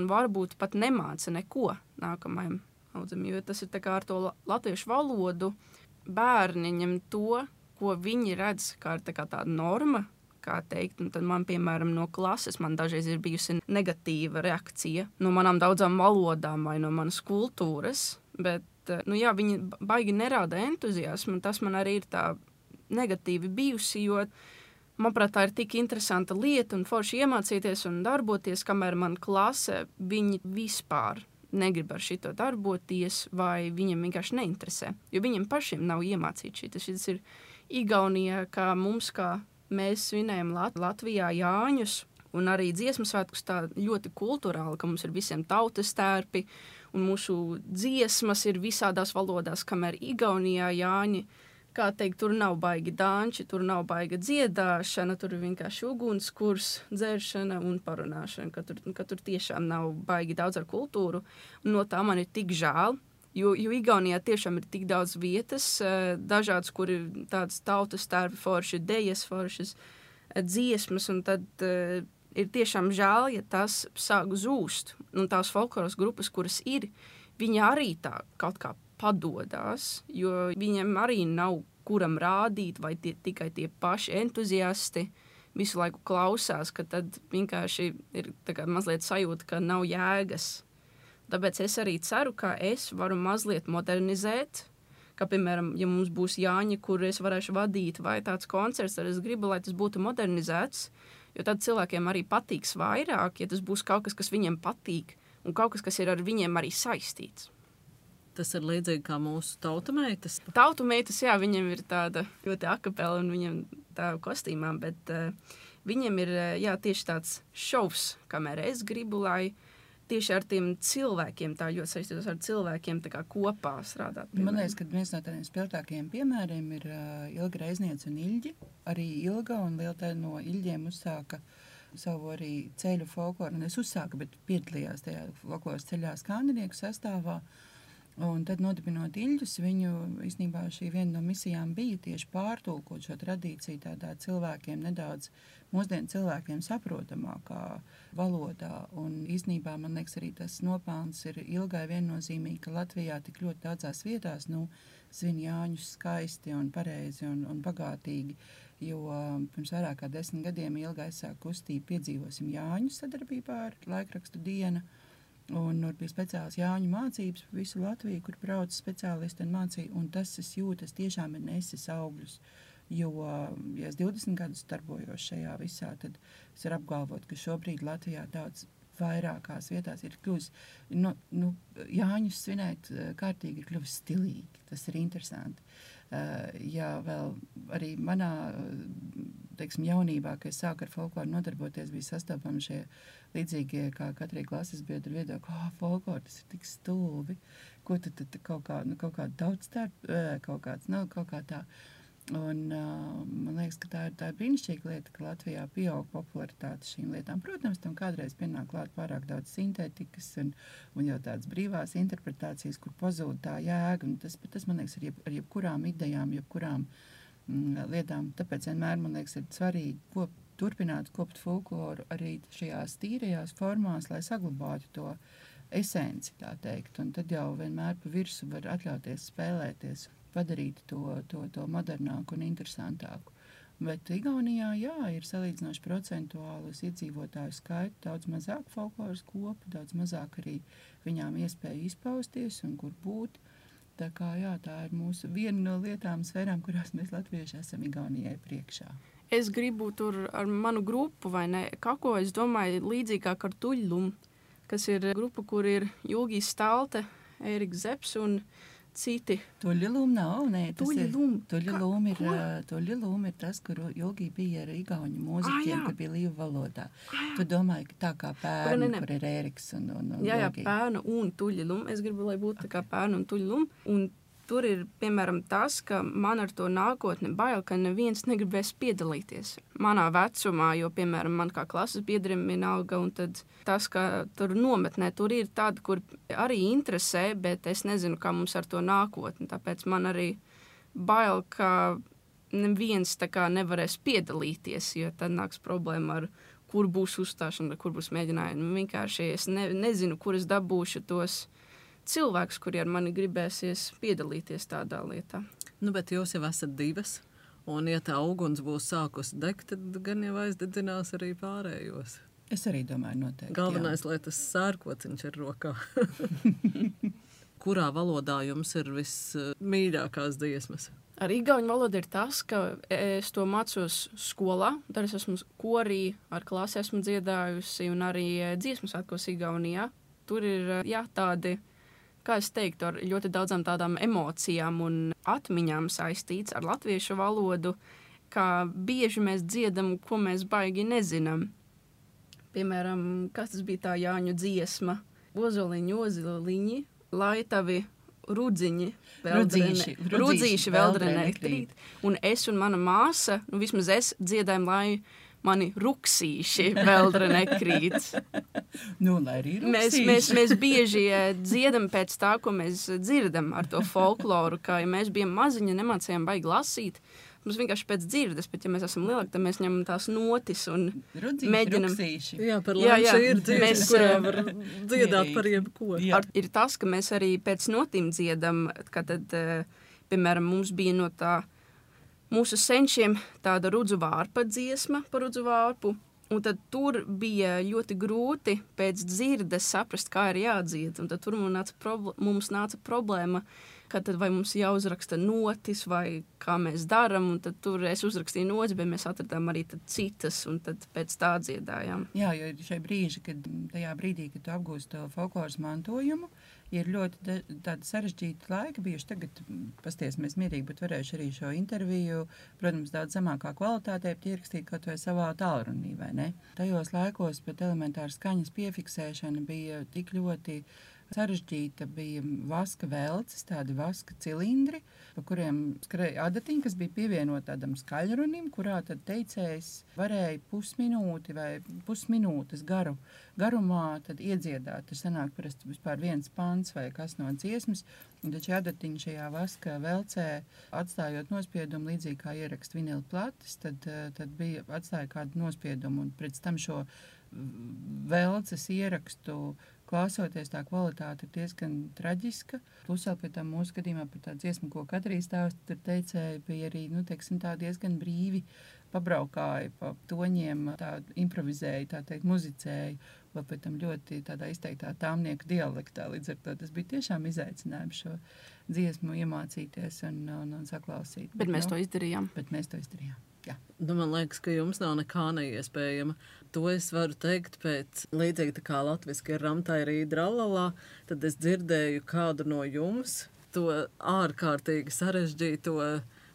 un varbūt pat nemāca neko nākamajam audzim, jo tas ir tā kā ar to latviešu valodu. Bērni ņem to, ko viņi redz, kā ir tā kā tāda norma, kā teikt, un tad man, piemēram, no klases man dažreiz ir bijusi negatīva reakcija no manām daudzām valodām vai no manas kultūras, bet, viņi baigi nerāda entuziasmu, un tas man arī ir tā negatīvi bijusi, jo, manuprāt, tā ir tik interesanta lieta un forši iemācīties un darboties, kamēr man klase, viņi vispār negrib ar šito darboties vai viņiem vienkārši neinteresē, jo viņiem pašiem nav iemācīt šī. Tas ir Igaunijā, kā mums, kā mēs svinējam Latvijā Jāņus un arī dziesmu svētkus tā ļoti kulturāli, ka mums ir visiem tautas tērpi un mūsu dziesmas ir visādās valodās, kamēr Igaunijā Jāņi, kā teikt, tur nav baigi danči, tur nav baiga dziedāšana, tur ir vienkārši ugunskurs, dzēršana un parunāšana, ka tur tiešām nav baigi daudz ar kultūru. Un no tā man ir tik žēl, jo Igaunijā tiešām ir tik daudz vietas, dažādas, kur ir tādas tautas tērpi forši, dejas foršas, dziesmas, un tad ir tiešām žēl, ja tas sāk zūst. Un tās folkloras grupas, kuras ir, viņi arī tā kaut kā padodās, jo viņiem arī nav kuram rādīt, vai tikai tie paši entuziasti visu laiku klausās, ka tad vienkārši ir tā kā mazliet sajūta, ka nav jēgas. Tāpēc es arī ceru, ka es varu mazliet modernizēt, ka, piemēram, ja mums būs Jāņi, kur es varēšu vadīt, vai tāds koncerts, tad es gribu, lai tas būtu modernizēts, jo tad cilvēkiem arī patiks vairāk, ja tas būs kaut kas, kas viņiem patīk, un kaut kas, kas ir ar viņiem arī saistīts. Tas ir līdzīgi kā mūsu tautameitas. Tautameitas, jā, viņiem ir tāda ļoti akapela un viņiem tā kostīmā, bet viņiem ir, jā, tieši tāds šovs, kamēr es gribu, lai tieši ar tiem cilvēkiem tā ļoti saistītos ar cilvēkiem tā kā kopā strādāt. Man liekas, ka viens no tādiem spilgtākajiem piemēriem ir Ilga Reizniece un Ilģi. Arī Ilga un liela no Ilģiem uzsāka savu arī ceļu folkloru. Un es uzsāku, bet piedalījās tajā folkloras ceļā skandinieku sastāvā. Un tad, nodibinot Ilģus, viņu īstenībā šī viena no misijām bija tieši pārtulkot šo tradīciju tādā cilvēkiem nedaudz mūsdienu cilvēkiem saprotamākā valodā. Un īstenībā, man liekas, arī tas nopelns ir Ilgai viennozīmīgi, ka Latvijā tik ļoti daudzās vietās, svin Jāņus skaisti un pareizi un bagātīgi, jo pirms vairāk kā 10 gadiem Ilga aizsāk kustību Piedzīvosim Jāņus sadarbībā ar laikrakstu Diena. Un bija speciāls Jāņu mācības pa visu Latviju, kur brauc speciālisti un mācīja, un tas, es jūtu, tiešām ir nesis augļus, jo, ja es 20 gadus darbojos šajā visā, tad es varu apgalvot, ka šobrīd Latvijā daudz vairākās vietās ir kļuvis, Jāņus svinēt kārtīgi ir kļuvis stilīgi, tas ir interesanti. Jā, vēl arī manā, teiksim, jaunībā, kad es sāku ar folkloru nodarboties, bija sastopami šie līdzīgie, kā katrai klases biedru viedokļi, folkloru, tas ir tik stulbi, ko tad kaut kā daudz tā, kaut kā tā. Un man liekas, ka tā ir brīnišķīga lieta, ka Latvijā pieaug popularitāte šīm lietām. Protams, tam kādreiz pienāk klāt pārāk daudz sintētikas un jau tādas brīvās interpretācijas, kur pazūd tā jēga. Un tas, man liekas, ar jebkurām idejām, jebkurām lietām. Tāpēc vienmēr, man liekas, ir svarīgi turpināt kopt folkloru arī šajās tīrajās formās, lai saglabātu to esenci, tā teikt. Un tad jau vienmēr pa virsu var atļauties spēlēties, padarīt to modernāku un interesantāku. Bet Igaunijā, jā, ir salīdzinoši procentuāli uz iedzīvotāju skaitu, daudz mazāk folkloras kopu, daudz mazāk arī viņām iespēja izpausties un kur būt. Tā kā, jā, tā ir mūsu viena no lietām, sfērām, kurās mēs latvieši esam Igaunijai priekšā. Es gribu tur ar manu grupu, vai ne, kaut ko, es domāju, līdzīgāk ar Tuļlumu, kas ir grupa, kur ir Jūgijs Stalte, Ēriks Zepps un citi. Tuļlum nav, nē, tas Tuļlum. Tuļlum ir tas, kur Jūgi bija ar igauņu mūziķiem, kur bija līvu valodā. Tu domāji, ka tā kā Pērnu, kur ir Ēriks un Jā, Jūgi. Pērnu un Tuļlum. Es gribu, lai būtu tā kā Pērnu un Tuļlum. Un tur ir, piemēram, tas, ka man ar to nākotni bail, ka neviens negribēs piedalīties manā vecumā, jo, piemēram, man kā klases biedrim vienalga, un tad tas, ka tur nometnē, tur ir tāda, kur arī interesē, bet es nezinu, kā mums ar to nākotni. Tāpēc man arī bail, ka neviens tā kā nevarēs piedalīties, jo tad nāks problēma ar kur būs uzstāšana, kur būs mēģinājumi. Vienkārši es nezinu, kur es dabūšu tos cilvēks, kuri ar mani gribēsies piedalīties tādā lietā. Bet jūs jau esat divas, un ja tā uguns būs sākusi degt, tad gan jau aizdedzinās arī pārējos. Es arī domāju noteikti. Galvenais, lai tas sērkociņš ir rokā. Kurā valodā jums ir vismīļākās dziesmas? Ar igauņu valodu ir tas, ka es to mācos skolā, tad es esmu korī, ar klasi esmu dziedājusi un arī dziesmu svētkos Igaunijā. Tur ir, jā, tādi, kā es teiktu, ar ļoti daudzām tādām emocijām un atmiņām saistīts ar latviešu valodu, kā bieži mēs dziedam, ko mēs baigi nezinām. Piemēram, kas tas bija tā Jāņu dziesma? Ozoliņi, ozoliņi, lai tavi rudzīši veldrenē krīt. Un es un mana māsa, vismaz es dziedājam, lai mani ruksīši veldrenē krīt. Lai arī ruksīši. Mēs bieži dziedam pēc tā, ko mēs dzirdam ar to folkloru, ka ja mēs bijām maziņi, nemācējām baigi lasīt, mums vienkārši pēc dzirdes, bet ja mēs esam lielāki, tad mēs ņemam tās notis un mēģinam. Jā, par labi ir dziesmas, kurā var dziedāt par jebko. Ir tas, ka mēs arī pēc notīm dziedam, ka tad, piemēram, mums bija no tā mūsu senčiem tāda rudzu vārpa dziesma par rudzu vārpu, un tad tur bija ļoti grūti pēc dzirdes saprast, kā ir jādzied, un tad tur mums nāca problēma, ka tad vai mums jāuzraksta notis, vai kā mēs daram, un tad tur es uzrakstīju notis, bet mēs atradām arī tad citas, un tad pēc tā dziedājām. Jā, jo šai brīži, tajā brīdī, kad tu apgūsti to folkloras mantojumu, ir ļoti tādi sarežģīti laiki bijuši. Tagad pastiesimies mierīgi, bet varēšu arī šo interviju, protams, daudz zemākā kvalitātē ierakstīt kaut vai savā tālrunī, vai ne? Tajos laikos pat elementāra skaņas piefiksēšana bija tik ļoti sarežģīta, bija vaska velces, tādi vaska cilindri, pa kuriem skrēja adatiņi, kas bija pievienot tādam skaļrunim, kurā tad teicējs varēja pusminūti vai pusminūtes garumā tad iedziedāt. Tur sanāk parasti vispār viens pants vai kas no dziesmas, un tad šie adatiņi šajā vaska velcē, atstājot nospiedumu, līdzīgi kā ierakst vinila plates, tad bija atstāja kādu nospiedumu, un pēc tam šo velces ierakstu klausoties, tā kvalitāte ir diezgan traģiska. Plus vēl pie tam mūsu gadījumā par tā dziesmu, ko Katrīs stāsta, tur teicēja, bija arī, teiksim, tā diezgan brīvi pabraukāja pa toņiem, tā improvizēja, tā teikt, muzicēja, vēl pēc tam ļoti tādā izteiktā tāmnieku dialektā. Līdz ar to tas bija tiešām izaicinājums šo dziesmu iemācīties un saklausīt. Bet mēs to izdarījām. Jā. Man liekas, ka jums nav nekā neiespējama. To es varu teikt pēc līdzīgi tā kā latviski ir ramtai rīd ralalā, tad es dzirdēju kādu no jums to ārkārtīgi sarežģīto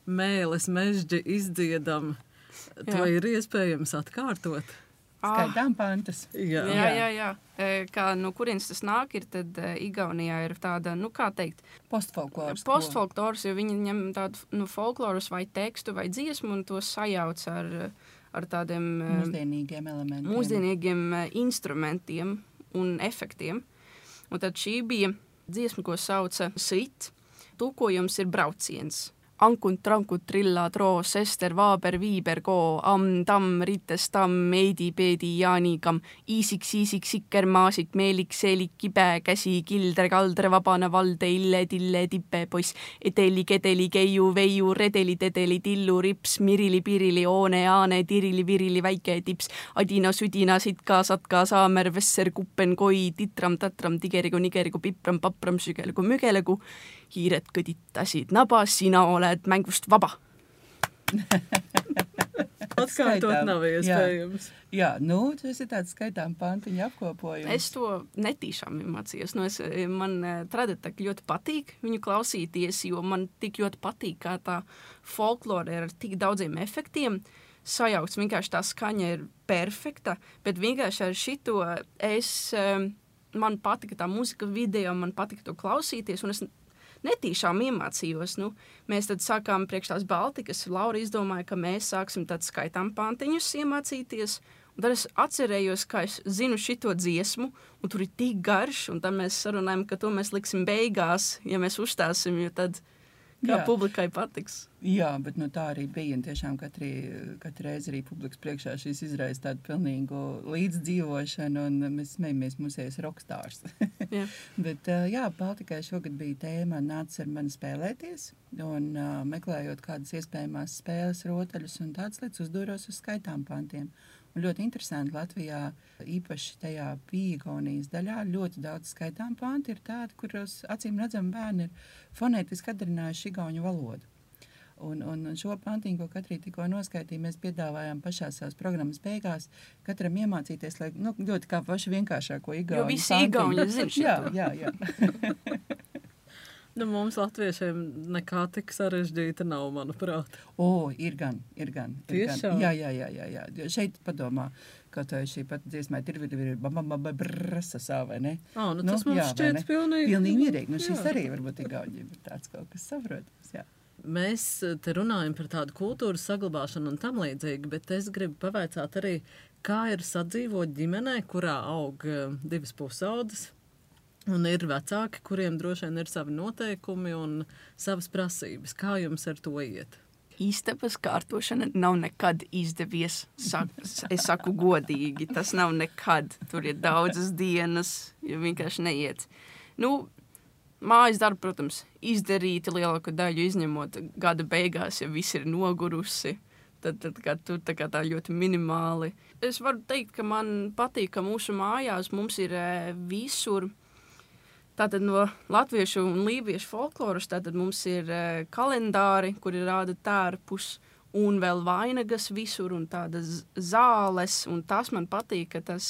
mēles mežģi izdziedam. To ir iespējams atkārtot. Skaitām pantas. Jā. Kā no kurienes tas nāk, ir tad Igaunijā ir tāda, kā teikt, postfolkloras, jo viņi ņem tādu folkloras vai tekstu vai dziesmu un to sajauc ar tādiem mūsdienīgiem elementiem. Mūsdienīgiem instrumentiem un efektiem. Un tad šī bija dziesma, ko sauca Sit. Tulkojums ir brauciens. Ankun, trankun, trillā, troo, sester, vaaber, viiber, koo, tam, rittes, tam, meidi, peedi, jaanikam, iisik, sikker, maasik, meelik, seelik, kibe, käsi, kildre, kaldre, vabane, valde, ille, tille, tippe, poiss, eteli, kedeli, keiu, veiu, redeli, tedeli, tillu, rips, mirili, pirili, oone, aane, tirili, virili, väike, tips, adina, sudina, sitka, satka, saamer, vesser, kuppen, koi, titram, tatram, tigerigu, nigerigu, pipram, papram, sügelegu, mügelegu, hiired kõditasid nabas, sina oled mängust vaba. Atskaitot nav iespējams. Jā, tas ir tāds skaitām pantiņu apkopojums. Es to netīšām iemācījos. Man traditāk ļoti patīk viņu klausīties, jo man tik ļoti patīk, kā tā folklore ir ar tik daudziem efektiem. Sajauks, vienkārši tā skaņa ir perfekta, bet vienkārši ar šito man patika tā muzika video, man patika to klausīties, un es netīšām iemācījos. Mēs tad sākām priekš tās Baltikas. Laura izdomāja, ka mēs sāksim tad skaitām pantiņus iemācīties. Un tad es atcerējos, ka es zinu šito dziesmu, un tur ir tik garš, un tad mēs sarunājam, ka to mēs liksim beigās, ja mēs uzstāsim, jo tad kā publikai patiks. Jā, bet tā arī bija, un tiešām katru reizi arī publikas priekšā šīs izraisa tādu pilnīgu līdzdzīvošanu, un mēs smejamies mūsējas rokstārs. Bet Baltikai šogad bija tēma nāc ar mani spēlēties, un meklējot kādas iespējamās spēles rotaļus un tādas lietas uzdūros uz skaitām pantiem. Un ļoti interesanti Latvijā, īpaši tajā Igaunijas daļā, ļoti daudz skaitām panti ir tādi, kuros acīm redzam bērni ir fonētiski atdarinājuši igauņu valodu. Un šo pantiņu, ko Katrī tikko noskaitīja, mēs piedāvājām pašā savas programmas beigās katram iemācīties, lai ļoti kā paši vienkāršāko igauņu pantiņu. Jo visi igauņi zin šito. Jā. Mums latviešiem nekā tik sarežģīta nav, manuprāt. Ir gan. Tiešām? Jā. Šeit padomā, ka šī pat dziesmā ir brasasā, vai ne? Tas mums šķiet pilnīgi. Pilnīgi mierīgi. Šis arī varbūt igauņiem ir tāds kaut kas saprotams, jā. Mēs te runājam par tādu kultūras saglabāšanu un tam līdzīgi, bet es gribu pavaicāt arī, kā ir sadzīvot ģimenē, kurā aug divas pusaudzes. Un ir vecāki, kuriem droši vien ir savi noteikumi un savas prasības. Kā jums ar to iet? Istabas kārtošana nav nekad izdevies. Es saku godīgi, tas nav nekad. Tur ir daudzas dienas, jo vienkārši neiet. Mājas darbu, protams, izdarīti lielāko daļu, izņemot gada beigās, ja viss ir nogurusi. Tad tur tā ļoti minimāli. Es varu teikt, ka man patīk, ka mūsu mājās mums ir visur. Tātad no latviešu un lībiešu folkloras, tātad mums ir kalendāri, kuri rāda tērpus, un vēl vainagas visur, un tādas zāles, un tas man patīk, ka tas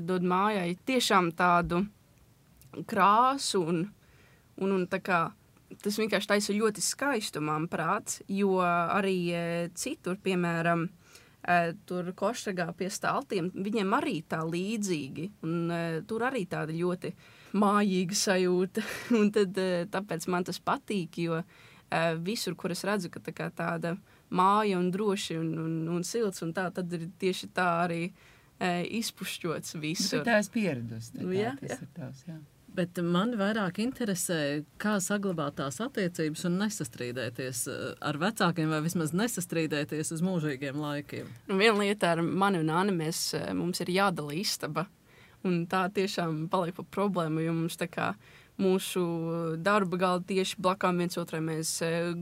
dod mājai tiešām tādu krāsu, un tā kā tas vienkārši taisa ļoti skaistu, manuprāt, jo arī citur, piemēram, tur Košragā pie staltiem, viņiem arī tā līdzīgi, un tur arī tāda ļoti mājīga sajūta, un tad tāpēc man tas patīk, jo visur, kur es redzu, ka tā kā tāda māja un droši un silts, un tā, tad ir tieši tā arī izpušķots visur. Bet tā es pieradusi, tas ir tavs, jā. Bet man vairāk interesē, kā saglabāt tās attiecības un nesastrīdēties ar vecākiem, vai vismaz nesastrīdēties uz mūžīgiem laikiem. Viena lieta ar mani un Anni, mums ir jādala istaba, un tā tiešām paliek par problēmu, jo mums tā kā mūsu darba galda tieši blakām viens otrai mēs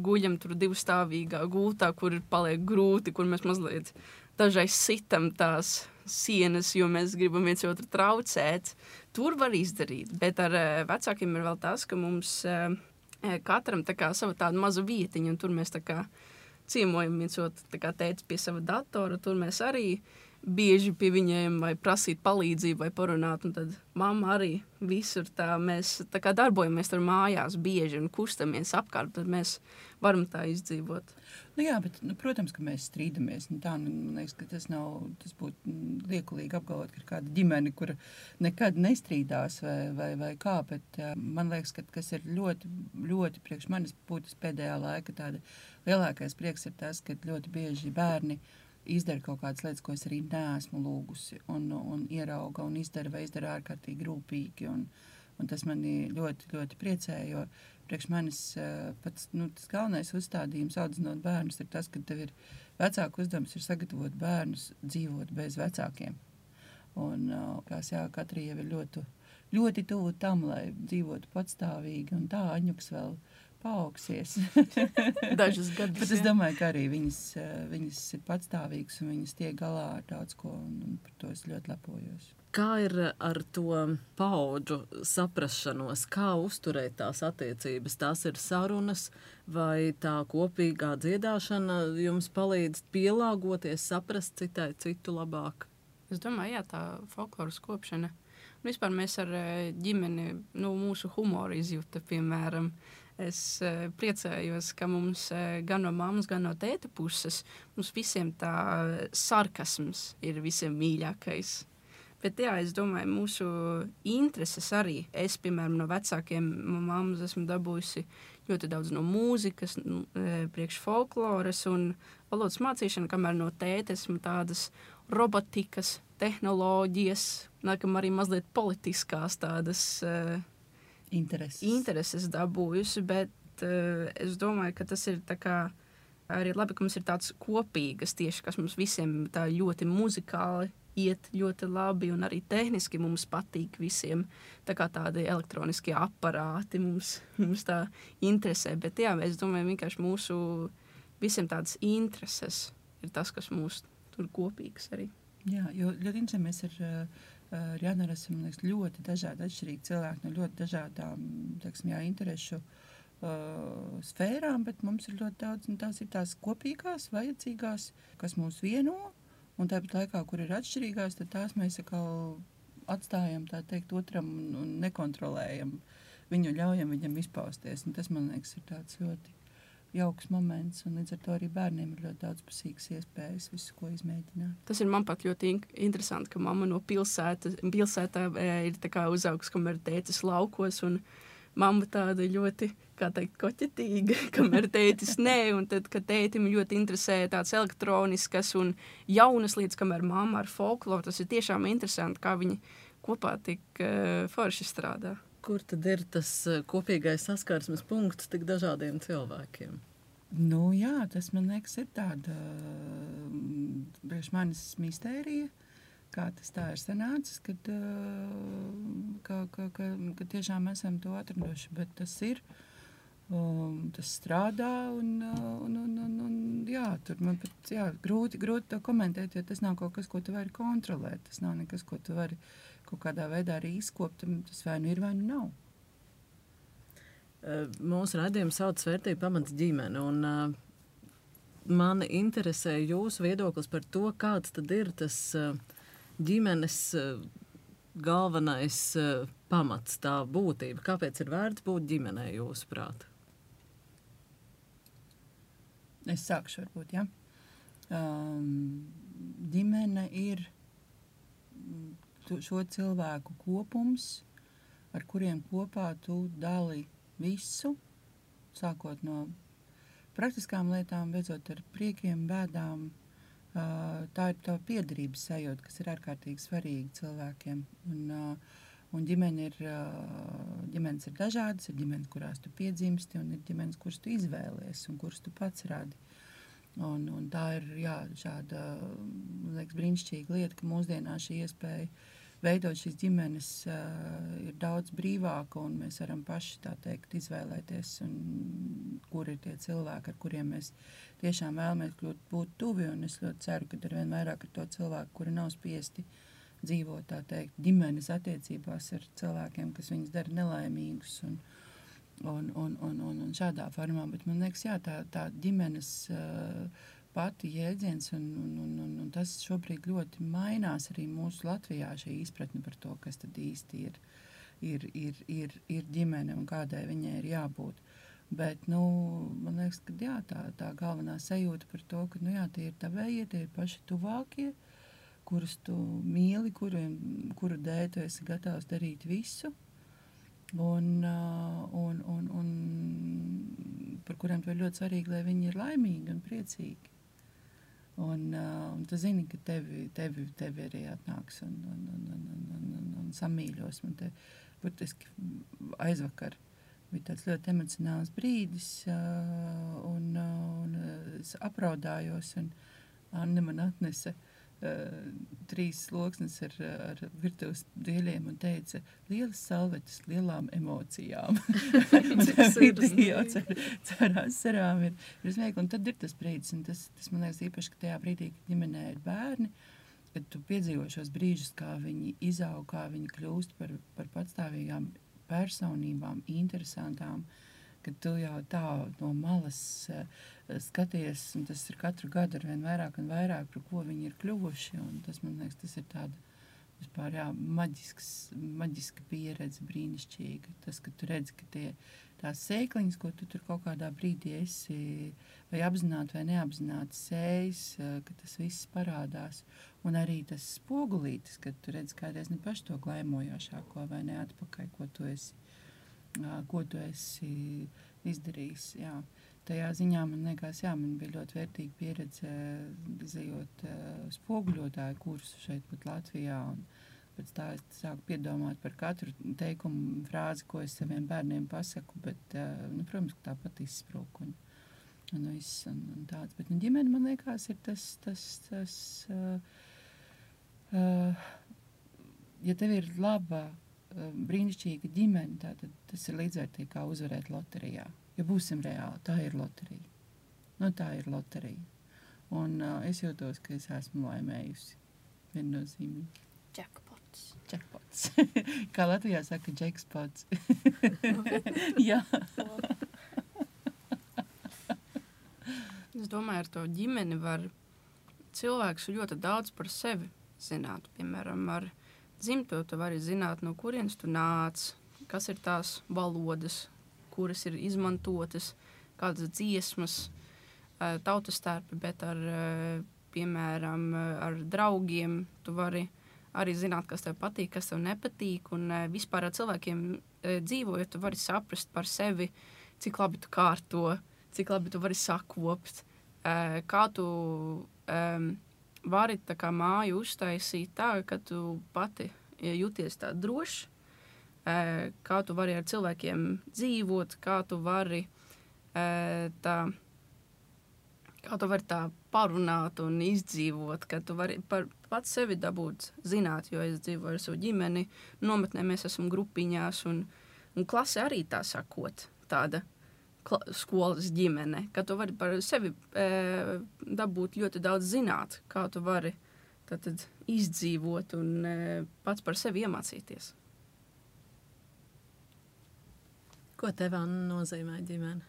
guļam tur divstāvīgā gultā, kur paliek grūti, kur mēs mazliet dažreiz sitam tās sienas, jo mēs gribam viens otru traucēt. Tur var izdarīt, bet ar vecākiem ir vēl tas, ka mums katram tā kā sava tāda maza vietiņa, un tur mēs tā kā ciemojam viens otru, tā kā tētis pie sava datora, tur mēs arī bieži pie viņiem vai prasīt palīdzību vai parunāt, un tad mamma arī visur tā mēs tā kā darbojamies tur mājās bieži un kustamies apkārt, tad mēs varam tā izdzīvot. Jā, bet, protams, ka mēs strīdamies. Man liekas, ka tas būtu liekulīgi apgalvot, ka ir kāda ģimene, kura nekad nestrīdās vai kā, bet man liekas, ka kas ir ļoti, ļoti priekš manis būtis pēdējā laika tāda lielākais prieks ir tas, ka ļoti bieži bērni izdara kaut kādas lietas, ko es arī neesmu lūgusi, un ierauga un izdara vai izdara ārkārtīgi rūpīgi, un tas mani ļoti, ļoti priecē, jo priekš manis pats tas galvenais uzstādījums audzinot bērnus ir tas, ka tev ir vecāku uzdevums ir sagatavot bērnus dzīvot bez vecākiem. Un katri jau ir ļoti, ļoti tuvu tam, lai dzīvotu patstāvīgi, un tā Aņuks vēl paaugsies. Dažus gadus. Bet es domāju, ka arī viņas ir patstāvīgas, un viņas tiek galā ar daudz ko, un par to es ļoti lepojos. Kā ir ar to paudžu saprašanos? Kā uzturēt tās attiecības? Tās ir sarunas vai tā kopīgā dziedāšana jums palīdz pielāgoties, saprast citu labāk? Es domāju, jā, tā folkloras kopšana. Vispār mēs ar ģimeni, mūsu humoru izjūta, piemēram. Es priecājos, ka mums gan no mammas, gan no tēta puses mums visiem tā sarkasms ir visiem mīļākais. Bet jā, es domāju, mūsu intereses arī. Es, piemēram, no vecākiem mammas esmu dabūjusi ļoti daudz no mūzikas, priekš folkloras un valodas mācīšana, kamēr no tēta esmu tādas robotikas, tehnoloģijas, nākam arī mazliet politiskās tādas intereses dabūjusi, bet es domāju, ka tas ir tā kā arī labi, ka mums ir tāds kopīgas tieši, kas mums visiem tā ļoti muzikāli iet ļoti labi, un arī tehniski mums patīk visiem tā kā tādi elektroniskie aparāti mums tā interesē, bet jā, es domāju, vienkārši mūsu visiem tādas intereses ir tas, kas mūs tur kopīgs arī. Jā, jo ļoti interesanti mēs ar Jānu esam ļoti dažādi atšķirīgi cilvēki no ļoti dažādām, interešu sfērām, bet mums ir ļoti daudz, un tās ir tās kopīgās, vajadzīgās, kas mūs vieno, un tāpat laikā, kur ir atšķirīgās, tad tās mēs atkal atstājam, tā teikt, otram un nekontrolējam viņu, ļaujam viņam izpausties. Un tas, man liekas, ir tāds ļoti jauks moments, un līdz ar to arī bērniem ir ļoti daudzpusīgas iespējas visu, ko izmēģināt. Tas ir man pat ļoti interesanti, ka mamma no pilsētā ir tā kā uzaugs, kamēr tētis laukos, un mamma tāda ļoti, kā teikt, koķetīga, kamēr tētis nē, un tad, kad tētim ļoti interesē tāds elektroniskas un jaunas lietas, kamēr mamma ar folkloru, tas ir tiešām interesanti, kā viņi kopā tik forši strādā. Kur tad ir tas kopīgais saskarsmes punkts tik dažādiem cilvēkiem? Nu, jā, tas man liekas ir tāda priekš manis mistērija, kā tas tā ir sanācis, kad tiešām esam to atraduši, bet tas ir, tas strādā un jā, tur man pat, jā, grūti to komentēt, jo tas nav kaut kas, ko tu vari kontrolēt, tas nav nekas, ko tu vari kaut kādā veidā arī izkopt, tas vai nu ir, vai nu nav. Mūsu raidījums sauc Vērtību pamats ģimene, un mani interesē jūsu viedoklis par to, kāds tad ir tas ģimenes galvenais pamats, tā būtība. Kāpēc ir vērts būt ģimenei, jūsuprāt? Es sākšu varbūt, ja. Ģimene ir šo cilvēku kopums, ar kuriem kopā tu dali visu, sākot no praktiskām lietām, beidzot ar priekiem, bēdām. Tā ir tā piederības sajūta, kas ir ārkārtīgi svarīga cilvēkiem. Un ģimenes ir dažādas, ir ģimenes, kurās tu piedzimsti, un ir ģimenes, kuras tu izvēlies un kuras tu pats radi. Un tā ir, jā, šāda, man liekas, brīnišķīga lieta, ka mūsdienās šī iespēja veidot šīs ģimenes ir daudz brīvāka, un mēs varam paši, tā teikt, izvēlēties, kur ir tie cilvēki, ar kuriem mēs tiešām vēlamies būt tuvi, un es ļoti ceru, ka arvien vairāk ir to cilvēku, kuri nav spiesti dzīvot, tā teikt, ģimenes attiecībās ar cilvēkiem, kas viņus dara nelaimīgus, un šādā formā, bet man liekas, jā, tā ģimenes pati jēdziens, un tas šobrīd ļoti mainās arī mūsu Latvijā, šī izpratne par to, kas tad īsti ir ģimene un kādai viņai ir jābūt. Bet, man liekas, ka jā, tā galvenā sajūta par to, ka, jā, tie ir tavējie, tie ir paši tuvākie, kurus tu mīli, kuru dēļ tu esi gatavs darīt visu, un par kuriem tu ir ļoti svarīgi, lai viņi ir laimīgi un priecīgi. Un tu zini, ka tevi arī atnāks un samīļos. Man te burtiski aizvakar bija tāds ļoti emocionāls brīdis, un es apraudājos, un Anne man atnesa 3 sloksnes ar virtuves dieļiem un teica, lielas salvetes, lielām emocijām. Caur asarām ir smieklīgi, un tad ir tas brīdis, un tas man liekas īpaši, ka tajā brīdī, kad ģimenē ir bērni, kad tu piedzīvo šos brīžus, kā viņi izaug, kā viņi kļūst par patstāvīgām personībām, interesantām, kad tu jau tā no malas skaties, un tas ir katru gadu arvien vairāk un vairāk, par ko viņi ir kļuvuši, un tas, man liekas, tas ir tāda vispār, jā, maģiska pieredze, brīnišķīga. Tas, ka tu redzi, ka tās sēkliņas, ko tu tur kaut kādā brīdī esi vai apzināti vai neapzināti sējis, ka tas viss parādās. Un arī tas spogulītis, kad tu redzi kādreiz ne paši to glaimojošāko vai ne atpakaļ, ko tu esi izdarījis. Jā. Tajā ziņā man liekas, jā, man bija ļoti vērtīga pieredze izejot spoguļotāju kursu šeit pat Latvijā. Un pēc tā es sāku piedomāt par katru teikumu, frāzi, ko es saviem bērniem pasaku, bet, protams, ka tāpat izsprūk un tāds. Bet ģimene, man liekas, ir tas ja tev ir laba, brīnišķīga ģimene, tad tas ir līdzvērtīgi kā uzvarēt loterijā. Ja būsim reāli, tā ir loterija. Tā ir loterija. Un es jūtos, ka es esmu laimējusi. Viennozīmīgi. Jackpots. Kā Latvijā saka, jackpots. Jā. Es domāju, ar to ģimeni var cilvēks ļoti daudz par sevi zināt. Piemēram, ar dzimto tu vari zināt, no kurienes tu nāc, kas ir tās valodas, kuras ir izmantotas, kādas dziesmas, tautas starpi, bet piemēram, ar draugiem tu vari arī zināt, kas tev patīk, kas tev nepatīk, un vispār ar cilvēkiem dzīvojot, tu vari saprast par sevi, cik labi tu kārto, cik labi tu vari sakopt, kā tu vari tā kā māju uztaisīt tā, ka tu pati jūties tā droši, kā tu vari ar cilvēkiem dzīvot, kā tu vari tā Kā tu vari tā parunāt un izdzīvot, ka tu vari pats sevi dabūt zināt, jo es dzīvoju ar savu ģimeni, nometnē mēs esam grupiņās, un klase arī tā sakot, tāda skolas ģimene, ka tu vari par sevi dabūt ļoti daudz zināt, kā tu vari tad izdzīvot un pats par sevi iemācīties. Ko tev, Anna, nozīmē ģimene?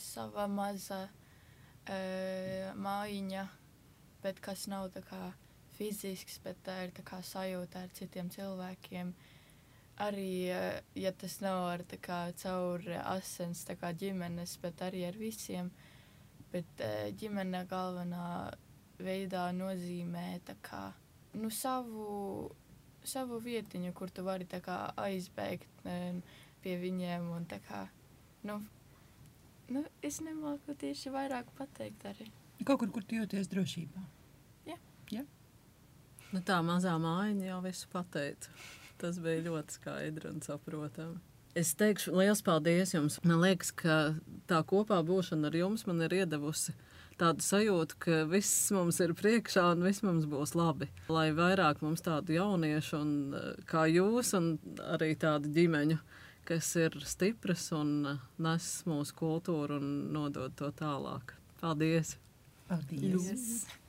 Sava maza mājiņa, bet kas nav tā kā fizisks, bet tā ir tā kā sajūta ar citiem cilvēkiem. Arī, ja tas nav ar tā kā caur asins tā kā ģimenes, bet arī ar visiem. Bet ģimene galvenā veidā nozīmē tā kā, savu vietiņu, kur tu vari tā kā aizbēgt pie viņiem un tā kā, es nemāku tieši vairāk pateikt arī. Kaut kur tu jūties drošībā. Jā. Tā mazā mājiņa jau visu pateica. Tas bija ļoti skaidri un saprotami. Es teikšu liels paldies jums. Man liekas, ka tā kopā būšana ar jums man ir iedevusi tādu sajūtu, ka viss mums ir priekšā un viss mums būs labi. Lai vairāk mums tādu jauniešu un kā jūs un arī tādu ģimeņu, kas ir stipras un nes mūsu kultūru un nodod to tālāk. Paldies! Paldies! Yes.